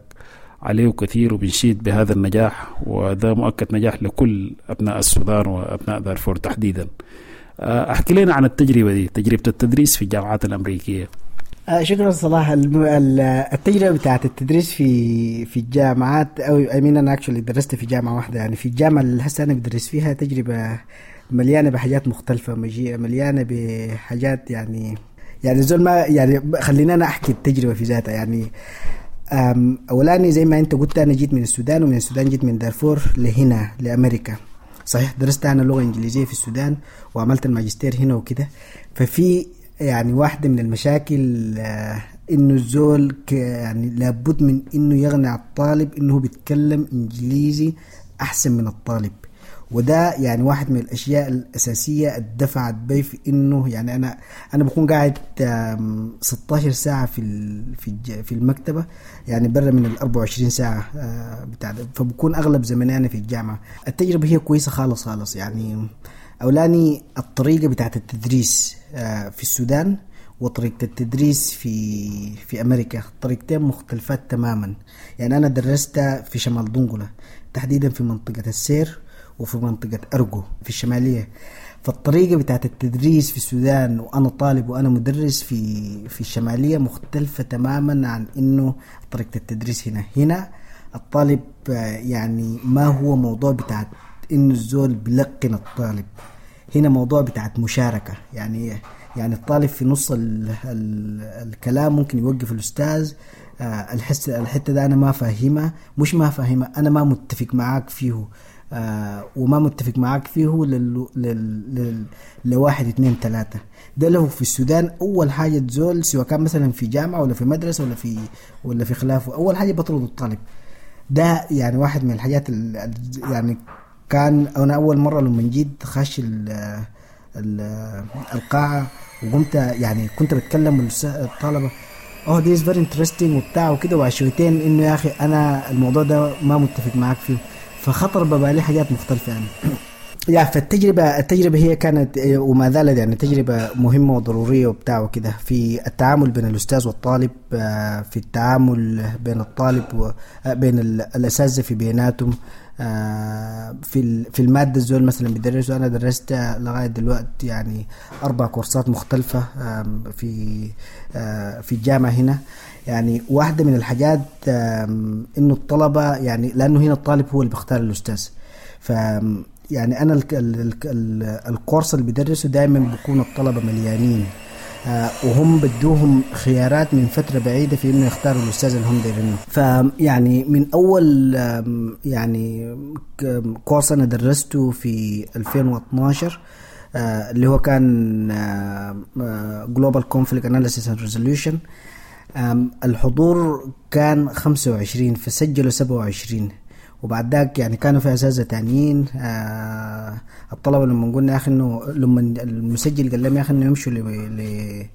عليه كثير وبنشيد بهذا النجاح، وده مؤكد نجاح لكل أبناء السودان وأبناء دارفور تحديدا. أحكي لنا عن التجربة دي، تجربة التدريس في الجامعات الأمريكية. شكرا صلاح. التجربة بتاعت التدريس في في الجامعات، أو I mean أنا actually درست في جامعة واحدة، يعني في الجامعة اللي هسه أنا بدرس فيها تجربة مليانة بحاجات مختلفة، مليانة بحاجات يعني يعني زول ما يعني خلينا أنا أحكي التجربة في ذاتها. يعني أولاني زي ما أنت قلت أنا جيت من السودان، ومن السودان جيت من دارفور لهنا لأمريكا. صحيح درست أنا لغة إنجليزية في السودان وعملت الماجستير هنا وكده. ففي يعني واحدة من المشاكل إنه الزول يعني لابد من إنه يغني الطالب إنه بيتكلم إنجليزي أحسن من الطالب، وده يعني واحد من الأشياء الأساسية الدفعت بي في إنه يعني أنا أنا بكون قاعد ستاشر ساعة في في في المكتبة، يعني برا من ال أربعة وعشرين ساعة بتاع، فبكون أغلب زمني أنا في الجامعة. التجربة هي كويسة خالص خالص. يعني أولاني الطريقة بتاعت التدريس في السودان وطريقة التدريس في في أمريكا طريقتين مختلفات تماما. يعني أنا درست في شمال دنقلة تحديدا في منطقة السير وفي منطقة أرجو في الشمالية، فالطريقة بتاعت التدريس في السودان وأنا طالب وأنا مدرس في في الشمالية مختلفة تماما عن إنه طريقة التدريس هنا. هنا الطالب يعني ما هو موضوع بتاع إنه الزول بلقن الطالب، هنا موضوع بتاعت مشاركة. يعني يعني الطالب في نص ال ال الكلام ممكن يوقف الأستاذ، آه الحس الحتة ده أنا ما فاهمها، مش ما فاهمها، أنا ما متفق معاك فيه، آه وما متفق معاك فيه لل لل لل لواحد اتنين تلاتة. ده له في السودان أول حاجة تزول، سواء كان مثلا في جامعة ولا في مدرسة ولا في ولا في خلافه، أول حاجة بطرد الطالب ده. يعني واحد من الحاجات ال يعني كان أنا أول مرة لما جيت خش ال ال القاعة وقمت يعني كنت بتكلم الطلبة oh this is very interesting وبتاع وكده، وعشوتين إنه يا أخي أنا الموضوع ده ما متفق معاك فيه، فخطر ببالي حاجات مختلفة يعني. يا فالتجربة التجربة هي كانت وما زالت يعني تجربة مهمة وضرورية وبتاع وكده في التعامل بين الأستاذ والطالب، في التعامل بين الطالب وبين الأساتذة في بيناتهم، في في المادة الزول مثلا بيدرسه. أنا درست لغاية دلوقتي يعني أربع كورسات مختلفة في في الجامعة هنا. يعني واحدة من الحاجات إنه الطلبة يعني لأنه هنا الطالب هو اللي بيختار الأستاذ، ف يعني أنا ال ال ال الكورس اللي بدرسه دائما بيكون الطلبة مليانين، آه وهم بدوهم خيارات من فترة بعيدة في إنه يختاروا الأستاذ اللي هم دايرينه. فيعني من أول يعني كورس أنا درسته في ألفين واثناشر آه اللي هو كان آه Global Conflict Analysis and Resolution، الحضور كان خمسة وعشرين فسجلوا سبعة وعشرين، وبعد ذاك يعني كانوا في أساتذة تانيين. آه الطلبة لما قلنا يا أخي إنه لما المسجل قال لهم يا أخي إنه يمشوا لل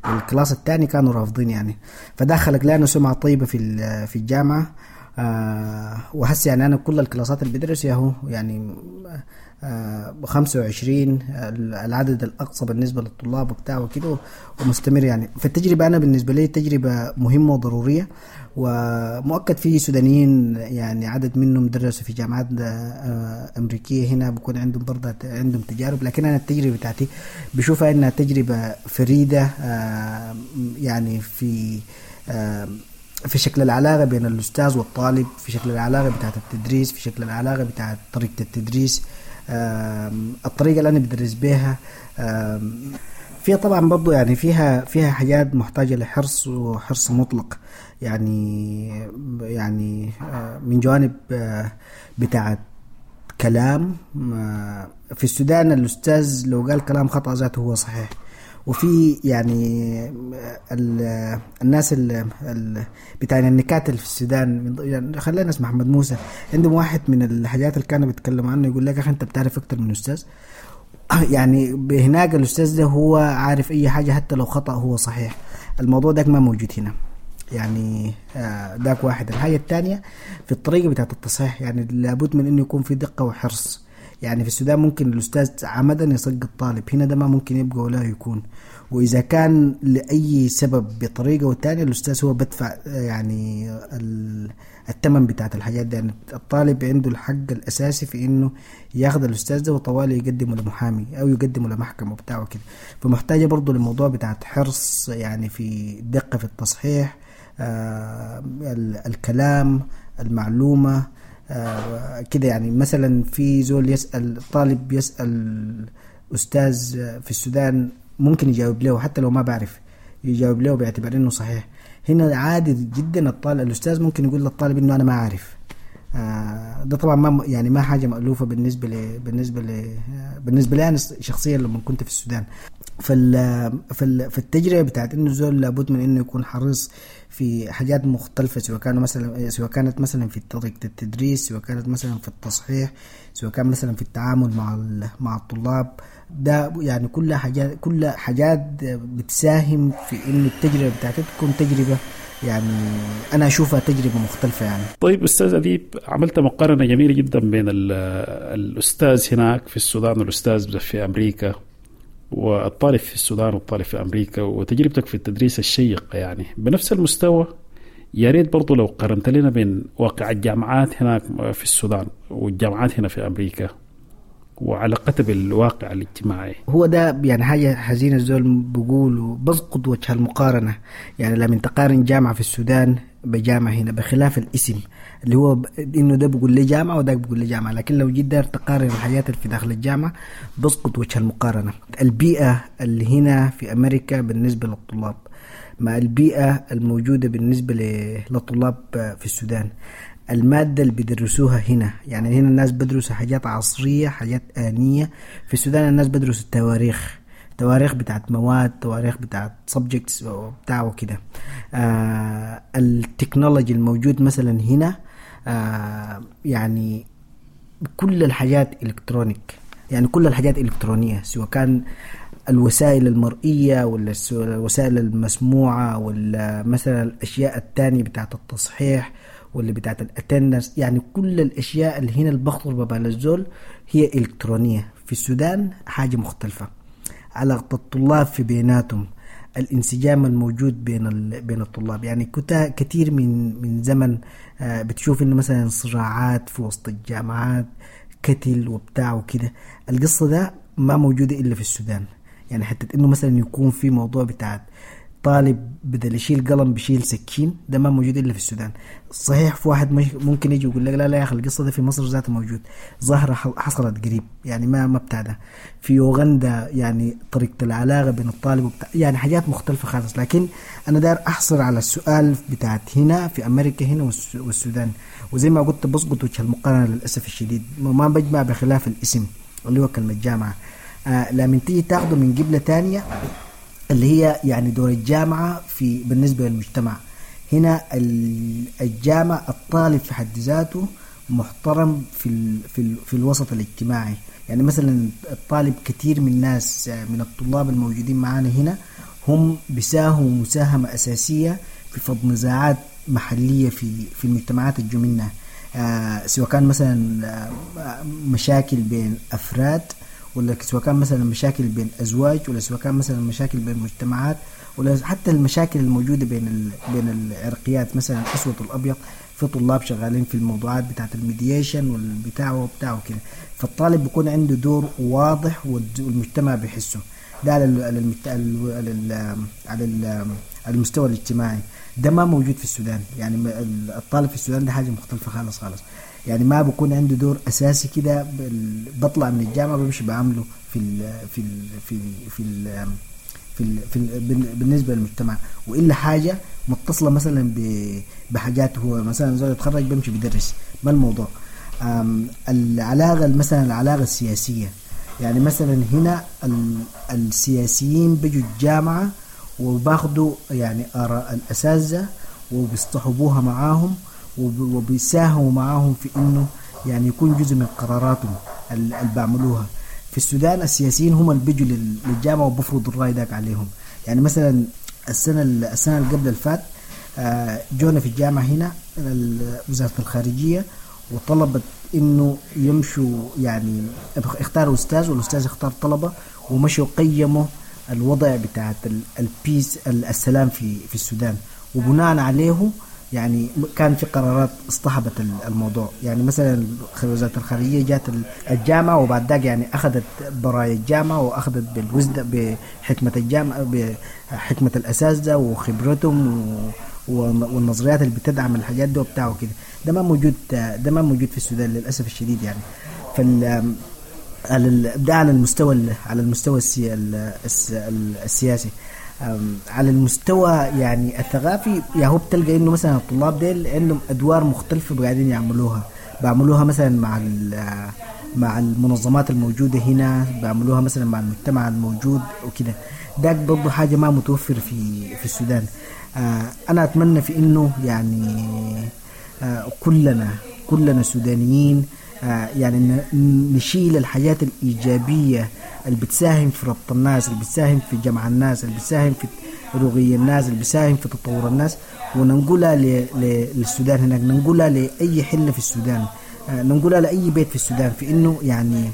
class الثاني كانوا رافضين يعني، فده خلق لنا سمعة طيبة في في الجامعة. آه وهسه يعني أنا كل الكلاسات اللي بدرس ياهو يعني آه خمسة وعشرين العدد الأقصى بالنسبة للطلاب وبتاع وكده، ومستمر يعني. فالتجربة أنا بالنسبة لي تجربة مهمة وضرورية، ومؤكد في سودانيين يعني عدد منهم درسوا في جامعات أمريكية هنا بكون عندهم برضه عندهم تجارب، لكن أنا التجربة بتاعتي بشوفها إنها تجربة فريدة آه يعني في آه في شكل العلاقة بين الأستاذ والطالب، في شكل العلاقة بتاعت التدريس، في شكل العلاقة بتاعت طريقة التدريس، الطريقة اللي أنا بدرس بيها. فيها طبعا برضو يعني فيها فيها حاجات محتاجة لحرص وحرص مطلق، يعني يعني من جوانب بتاعت كلام. في السودان الأستاذ لو قال كلام خطأ ذاته هو صحيح، وفي يعني الناس ال بتاع النكات اللي في السودان، يعني خلينا نسمع محمد موسى، عندهم واحد من الحاجات اللي كانوا بيتكلموا عنه يقول لك اخي انت بتعرف اكتر من الاستاذ. يعني هناك الاستاذ ده هو عارف اي حاجه حتى لو خطأ هو صحيح. الموضوع ده ما موجود هنا يعني، داك واحد. الحاجه الثانيه في الطريقه بتاعت التصحيح، يعني لابد من انه يكون في دقه وحرص. يعني في السودان ممكن الأستاذ عمدا يسقط طالب، هنا ده ما ممكن يبقى ولا يكون. وإذا كان لأي سبب بطريقة والتانية الأستاذ هو بدفع يعني الثمن بتاعت الحاجات دي. يعني الطالب عنده الحق الأساسي في إنه ياخذ الأستاذ ده وطوالي يقدمه لمحامي أو يقدمه لمحكمة وبتاعه كده. فمحتاجة برضو للموضوع بتاعت حرص يعني في دقة في التصحيح، آه الكلام، المعلومة، آه كده. يعني مثلا في زول يسأل طالب يسأل أستاذ في السودان ممكن يجاوب له حتى لو ما بعرف، يجاوب له باعتبار إنه صحيح. هنا عادي جدا الطالب الأستاذ ممكن يقول للطالب إنه أنا ما أعرف. آه ده طبعا ما يعني ما حاجة مألوفة بالنسبة ل بالنسبة ل بالنسبة لي أنا شخصيا لما كنت في السودان. فال فال فالتجربة بتاعت إنه زول لابد من إنه يكون حريص في حاجات مختلفة، سواء كانوا مثلا سواء كانت مثلا في طريقة التدريس، سواء كانت مثلا في التصحيح، سواء كان مثلا في التعامل مع مع الطلاب. ده يعني كل حاجات كل حاجات بتساهم في إنه التجربة بتاعتك تكون تجربة يعني أنا أشوفها تجربة مختلفة يعني. طيب أستاذ أديب، عملت مقارنة جميلة جدا بين الأستاذ هناك في السودان والأستاذ في أمريكا، والطالب في السودان والطالب في أمريكا، وتجربتك في التدريس الشيقة يعني بنفس المستوى. يا ريت برضو لو قارنت لنا بين واقع الجامعات هناك في السودان والجامعات هنا في أمريكا وعلاقتها بالواقع الاجتماعي. هو ده يعني حاجة حزينة، الزول بيقولوا بسقط وجه المقارنة. يعني لما تقارن جامعة في السودان بجامعة هنا، بخلاف الاسم اللي هو انه ده بيقول لي جامعة وده بيقول لي جامعة، لكن لو جيت داير تقارن الحاجات اللي في داخل الجامعة بسقط وجه المقارنة. البيئة اللي هنا في أمريكا بالنسبة للطلاب مع البيئة الموجودة بالنسبة للطلاب في السودان، المادة اللي بيدرسوها هنا، يعني هنا الناس بدرسوا حاجات عصرية، حاجات آنية. في السودان الناس بدرسوا التواريخ، تواريخ بتاعت مواد، تواريخ بتاعت subjects وبتاع وكده. آه ال technology الموجود مثلا هنا، آه يعني كل الحاجات electronic، يعني كل الحاجات إلكترونية، سواء كان الوسائل المرئية ولا الوسائل المسموعة ولا مثلا الأشياء التانية بتاعت التصحيح ولا بتاعت ال attendance، يعني كل الأشياء اللي هنا اللي بخطر ببال الزول هي إلكترونية. في السودان حاجة مختلفة. علاقة الطلاب في بيناتهم، الانسجام الموجود بين بين الطلاب، يعني كثير من من زمن بتشوف انه مثلا صراعات في وسط الجامعات، كتل وبتاع وكده. القصة ده ما موجودة إلا في السودان. يعني حتى انه مثلا يكون في موضوع بتاع طالب بدل يشيل قلم بيشيل سكين، ده ما موجود الا في السودان. صحيح في واحد ممكن يجي يقول لك لا لا يا اخي القصة ده في مصر ذاته موجود، ظاهره حصلت قريب، يعني ما ما بتاع ده. في يوغندا يعني طريقه العلاقة بين الطالب وبتاع، يعني حاجات مختلفة خالص. لكن انا داير احصر على السؤال بتاعت هنا في امريكا هنا والسودان، وزي ما قلت بسقط وجه المقارنة للاسف الشديد، ما بجمع بخلاف الاسم اللي هو كلمة جامعه. آه لما تيجي تاخده من قبله تانية اللي هي يعني دور الجامعة في بالنسبة للمجتمع هنا، الجامعة الطالب في حد ذاته محترم في ال في ال في الوسط الاجتماعي. يعني مثلا الطالب كثير من الناس من الطلاب الموجودين معانا هنا هم بيساهموا مساهمة أساسية في فض نزاعات محلية في في المجتمعات الجميلة، آه سواء كان مثلا مشاكل بين أفراد، ولا سواء كان مثلا مشاكل بين أزواج، ولا سواء كان مثلا مشاكل بين مجتمعات، ولا حتى المشاكل الموجودة بين ال... بين العرقيات مثلا الأسود والأبيض. في طلاب شغالين في الموضوعات بتاعة ال mediation والبتاع وبتاع وكده. فالطالب بيكون عنده دور واضح والمجتمع بيحسه ده على ال... على المجت... على ال... على على المستوى الاجتماعي. ده ما موجود في السودان. يعني الطالب في السودان ده حاجة مختلفة خالص خالص، يعني ما بكون عنده دور اساسي كده. بطلع من الجامعة بمشي بعمله في ال في ال في ال في ال في, ال في ال بالنسبة للمجتمع، والا حاجة متصلة مثلا بحاجات هو مثلا زول يتخرج بمشي بدرس. ما الموضوع العلاقة مثلا العلاقة السياسية، يعني مثلا هنا السياسيين بيجوا الجامعة وباخدوا يعني اراء الاساتذة وبيصطحبوها معاهم وبيساهموا معاهم في انه يعني يكون جزء من قراراتهم اللي بيعملوها. في السودان السياسيين هم اللي بيجوا للجامعة وبفرضوا الراي داك عليهم. يعني مثلا السنة السنة اللي قبل الفات جونا في الجامعة هنا وزارة الخارجية وطلبت انه يمشوا، يعني اختاروا استاذ والاستاذ اختار طلبه ومشوا قيموا الوضع بتاعت البيس السلام في في السودان، وبناء عليه يعني كان في قرارات اصطحبت الموضوع. يعني مثلا وزارة الخارجية جات الجامعة وبعد ذاك يعني أخذت براية الجامعة وأخذت بالوزن بحكمة الجامعة بحكمة الأساتذة وخبرتهم والنظريات اللي بتدعم الحاجات دي وبتاع وكده. ده ما موجود، ده ما موجود في السودان للأسف الشديد. يعني فال ده على المستوى على المستوى السياسي. على المستوى يعني الثقافي يا هو بتلقى انه مثلا الطلاب ديل عندهم ادوار مختلفة قاعدين يعملوها، بعملوها مثلا مع مع المنظمات الموجودة هنا، بعملوها مثلا مع المجتمع الموجود وكده. ده برضه حاجة ما متوفر في في السودان. انا اتمنى في انه يعني كلنا كلنا سودانيين يعني نشيل الحاجات الإيجابية اللي بتساهم في ربط الناس، اللي بتساهم في جمع الناس، اللي بتساهم في رقي الناس، اللي بتساهم في تطور الناس، وننقلها للسودان هناك، ننقلها لأي حلة في السودان، ننقلها لأي بيت في السودان، في إنه يعني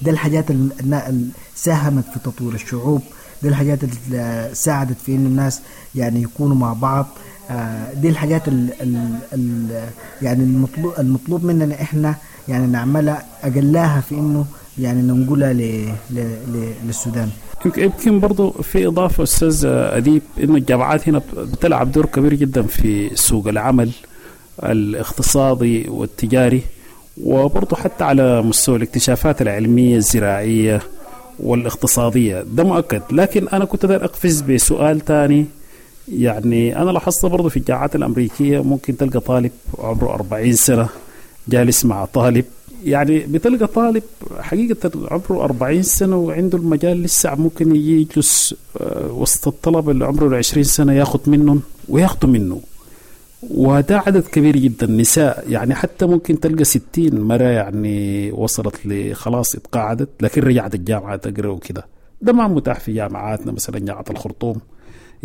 ده الحاجات اللي ساهمت في تطوير الشعوب، ده الحاجات اللي ساعدت في إنه الناس يعني يكونوا مع بعض. دي الحاجات ال ال ال يعني المطلوب المطلوب مننا إحنا يعني نعملها، أقلاها في إنه يعني ننقلها للسودان. يمكن برضو في إضافة أستاذ أديب، إنه الجامعات هنا بتلعب دور كبير جدا في سوق العمل الاقتصادي والتجاري، وبرضو حتى على مستوى الاكتشافات العلمية الزراعية والاقتصادية، ده مؤكد. لكن أنا كنت داير أقفز بسؤال تاني، يعني أنا لاحظت برضو في الجامعات الأمريكية ممكن تلقى طالب عمره أربعين سنة جالس مع طالب، يعني بتلقى طالب حقيقة عمره أربعين سنة وعنده المجال لسه ممكن يجلس وسط الطلبة اللي عمره عشرين سنة ياخد منهم وياخدوا منه، وده عدد كبير جدا. نساء يعني حتى ممكن تلقى ستين مرة يعني وصلت لخلاص اتقاعدت لكن رجعت الجامعة تقرأ وكده. ده ما متاح في جامعاتنا، مثلا جامعة الخرطوم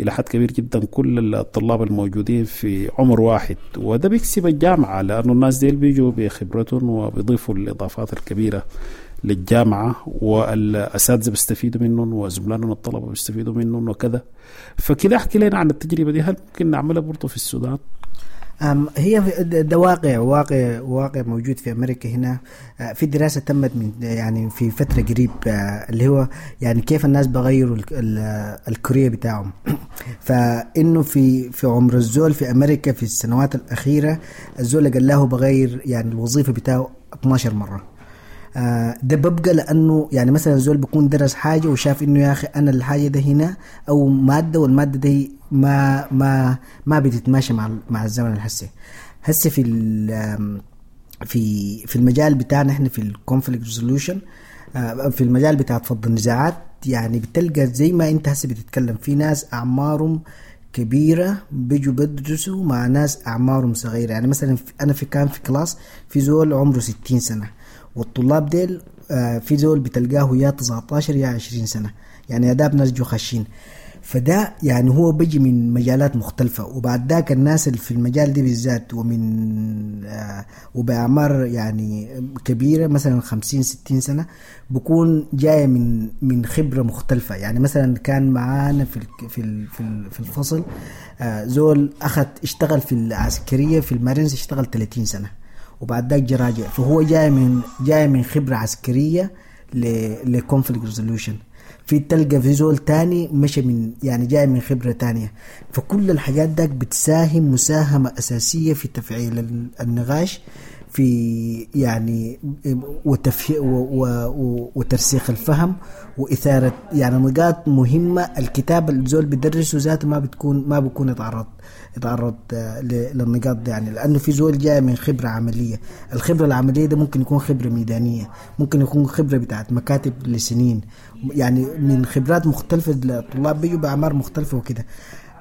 إلى حد كبير جدا كل الطلاب الموجودين في عمر واحد، وده بيكسب الجامعة لأنه الناس ديل بيجوا بخبرتهم وبيضيفوا الإضافات الكبيرة للجامعة، والأساتذة بيستفيدوا منهم وزملائهم الطلبة بيستفيدوا منهم وكذا. فكده احكي لنا عن التجربة دي، هل ممكن نعملها برضو في السودان؟ هي ده واقع واقع واقع موجود في أمريكا هنا. في دراسة تمت من يعني في فترة قريب، اللي هو يعني كيف الناس بغيروا ال career بتاعهم. فإنه في في عمر الزول في أمريكا في السنوات الأخيرة الزول قال له بغير يعني الوظيفة بتاعه اثناشر مرة. ده ببقى لأنه يعني مثلا الزول بيكون درس حاجة وشاف إنه يا أخي أنا الحاجة ده هنا أو مادة، والمادة دي ما ما ما بتتماشى مع مع الزمن الحسي. هسه في في في المجال بتاعنا احنا في ال conflict resolution، في المجال بتاع فض النزاعات، يعني بتلقى زي ما انت هسه بتتكلم في ناس اعمارهم كبيرة بيجوا بدرسوا مع ناس اعمارهم صغيرة. يعني مثلا انا في كان في class في زول عمره ستين سنة، والطلاب ديل في زول بتلقاه يا تسعتاشر يا عشرين سنة، يعني اداب ناس جو خاشين. فده يعني هو بيجي من مجالات مختلفة، وبعد ذاك الناس اللي في المجال دي بالذات ومن آه وبأعمار يعني كبيرة مثلا خمسين ستين سنة بكون جاية من من خبرة مختلفة. يعني مثلا كان معانا في في في الفصل آه زول أخذ اشتغل في العسكرية في المارينز، اشتغل ثلاثين سنة وبعد ذاك جا راجع، فهو جاي من جاي من خبرة عسكرية ل conflict resolution. في تلقى في زول تاني مشى من يعني جاي من خبرة تانية. فكل الحاجات داك بتساهم مساهمة أساسية في تفعيل النقاش في يعني وتفه و و وترسيخ الفهم وإثارة يعني نقاط مهمة. الكتاب الزول بيدرسه ذاته ما بتكون ما بيكون يتعرض يتعرض للنقاط دي، يعني لأنه في زول جاي من خبرة عملية. الخبرة العملية ده ممكن يكون خبرة ميدانية، ممكن يكون خبرة بتاعت مكاتب لسنين، يعني من خبرات مختلفة. الطلاب بيجوا بأعمار مختلفة وكده.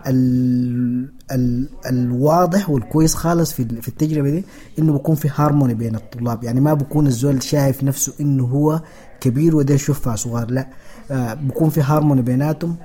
ال ال الواضح والكويس خالص في في التجربة دي انه بيكون في هارموني بين الطلاب، يعني ما بيكون الزول شايف نفسه انه هو كبير وده يشوفها صغار، لا آه بيكون في هارموني بيناتهم.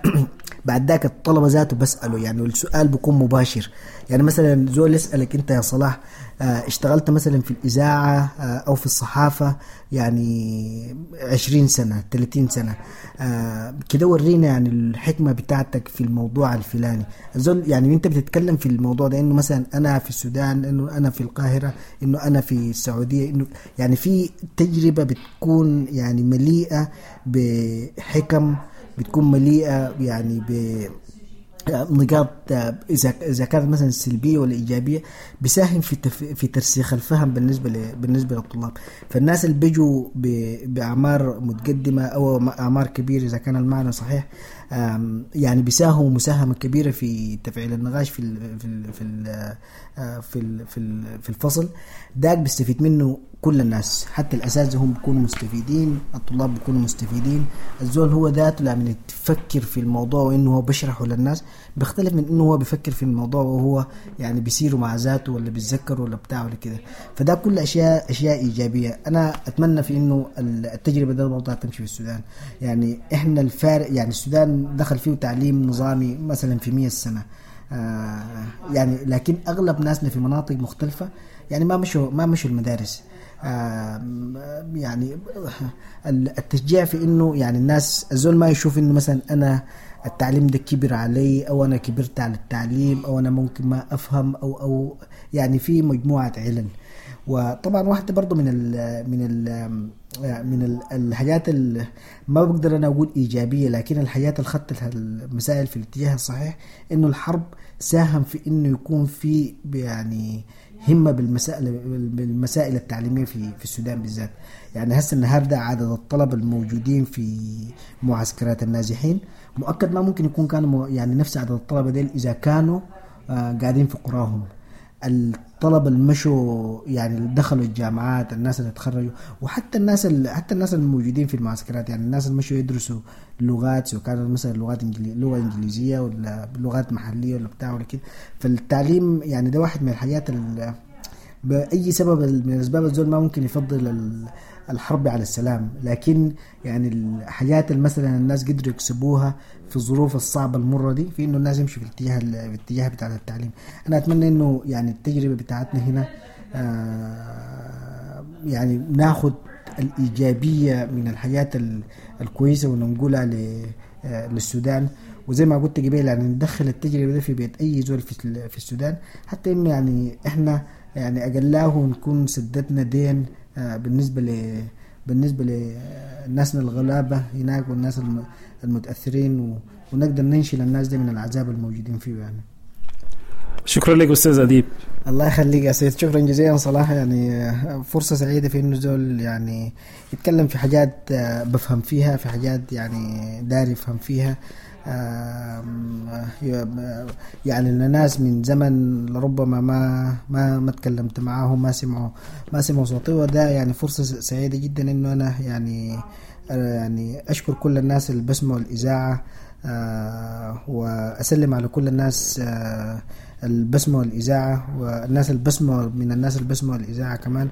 بعد ذاك الطلبة ذاته بسأله، يعني السؤال بيكون مباشر. يعني مثلا زول يسألك انت يا صلاح آه اشتغلت مثلا في الإذاعة آه او في الصحافة يعني عشرين سنة ثلاثين سنة آه كده، ورينا يعني الحكمة بتاعتك في الموضوع الفلاني. الزول يعني انت بتتكلم في الموضوع ده انه مثلا انا في السودان، انه انا في القاهرة، انه انا في السعودية، انه يعني في تجربة بتكون يعني مليئة بحكم، بتكون مليئة يعني بنقاط إذا إذا كانت مثلا سلبية ولا إيجابية، بيساهم في تف... في ترسيخ الفهم بالنسبة ل... بالنسبة للطلاب. فالناس اللي بيجوا ب... بأعمار متقدمة أو أعمار كبيرة إذا كان المعنى صحيح، يعني بيساهموا مساهمة كبيرة في تفعيل النقاش في ال... في ال... في ال... في ال... في ال... في الفصل داك. بيستفيد منه كل الناس، حتى الأساتذة هم بيكونوا مستفيدين، الطلاب بيكونوا مستفيدين. الزول هو ذاته لما يفكر في الموضوع وإنه هو بيشرحه للناس بيختلف من إنه هو بيفكر في الموضوع وهو يعني بيسيره مع ذاته ولا بيتذكر ولا بتاع ولا كده. فده كل أشياء أشياء إيجابية. أنا أتمنى في إنه التجربة ده برضه تمشي في السودان. يعني إحنا الفارق، يعني السودان دخل فيه تعليم نظامي مثلا في مية سنة آه يعني، لكن أغلب ناسنا في مناطق مختلفة يعني ما مشوا ما مشوا المدارس. يعني التشجيع في انه يعني الناس الزول ما يشوف انه مثلا انا التعليم ده كبر علي، او انا كبرت على التعليم، او انا ممكن ما افهم، او او يعني في مجموعة علل. وطبعا واحدة برضو من ال من ال من ال الحاجات اللي ما بقدر انا اقول ايجابية، لكن الحاجات اللي خدت المسائل في الاتجاه الصحيح، انه الحرب ساهم في انه يكون في يعني همه بالمسائل بالمسائل التعليمية في في السودان بالذات. يعني هسه النهارده عدد الطلبة الموجودين في معسكرات النازحين مؤكد ما ممكن يكون كانوا يعني نفس عدد الطلبة ديل اذا كانوا آه قاعدين في قراهم. الطلبة اللي مشوا يعني اللي دخلوا الجامعات، الناس اللي تخرجوا، وحتى الناس اللي حتى الناس الموجودين في المعسكرات، يعني الناس اللي مشوا يدرسوا لغات، سواء كانت مثلا لغات إنجلي... لغة انجليزية ولا لغات محليه ولا بتاع ولا كده. فالتعليم يعني ده واحد من الحاجات اللي باي سبب من الاسباب الزول ما ممكن يفضل الحرب على السلام، لكن يعني الحاجات اللي مثلا الناس قدروا يكسبوها في الظروف الصعبة المرة دي، في انه الناس يمشوا في الاتجاه في الاتجاه بتاع التعليم. انا اتمنى انه يعني التجربة بتاعتنا هنا آه يعني ناخد الايجابية من الحاجات الكويسة وننقلها للسودان، وزي ما قلت قبل يعني ندخل التجربة دي في بيت اي زول في في السودان، حتى انه يعني احنا يعني اقلاه نكون سددنا دين بالنسبة ل بالنسبة لناسنا الغلابة هناك والناس المتاثرين، ونقدر ننشل الناس دي من العذاب الموجودين فيه يعني. شكرا لك استاذ اديب. الله يخليك يا سيد، شكرا جزيلا صلاح. يعني فرصة سعيدة في انه زول يعني يتكلم في حاجات بفهم فيها، في حاجات يعني داري يفهم فيها. يعني الناس من زمن لربما ما ما ما تكلمت معاهم، ما سمعوا ما سمعوا صوتي، وده يعني فرصة سعيدة جدا انه انا يعني يعني اشكر كل الناس اللي بسمعوا الاذاعة، واسلم على كل الناس اللي بسمعوا الاذاعة، والناس اللي بسمعوا من الناس اللي بسمعوا الاذاعة كمان.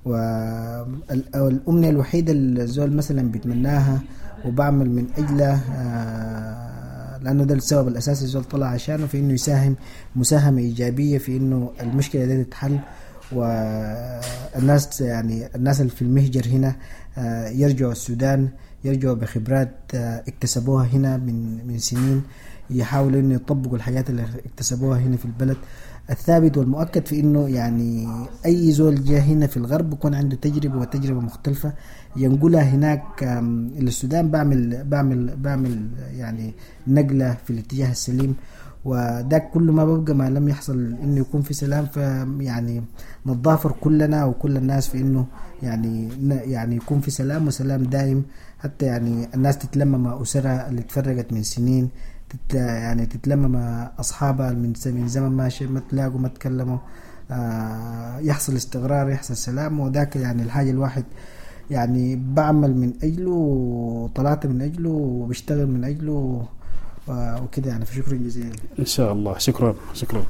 والامنية الوحيدة اللي الزول مثلا بيتمناها وبعمل من اجلها، لانه ده السبب الاساسي الزول طلع عشانه، في انه يساهم مساهمة ايجابية في انه المشكلة دي تتحل، والناس يعني الناس اللي في المهجر هنا يرجعوا السودان، يرجعوا بخبرات اكتسبوها هنا من من سنين، يحاولوا انه يطبقوا الحاجات اللي اكتسبوها هنا في البلد. الثابت والمؤكد في انه يعني اي زول جاء هنا في الغرب بيكون عنده تجربه، وتجربه مختلفة ينقلها هناك للسودان، بعمل بعمل بعمل يعني نقله في الاتجاه السليم. وده كله ما ببقى ما لم يحصل انه يكون في سلام، فيعني نتضافر كلنا وكل الناس في انه يعني يعني يكون في سلام، وسلام دائم، حتى يعني الناس تتلم مع اسرها اللي تفرقت من سنين، تت يعني تتلم مع اصحابها من من زمن ما ما تلاقوا ما تكلموا، آه يحصل استقرار، يحصل سلام. وذاك يعني الحاجة الواحد يعني بعمل من اجله، وطلعت من اجله، وبشتغل من اجله وكده يعني. فشكرا جزيلا. ان شاء الله. شكرا شكرا.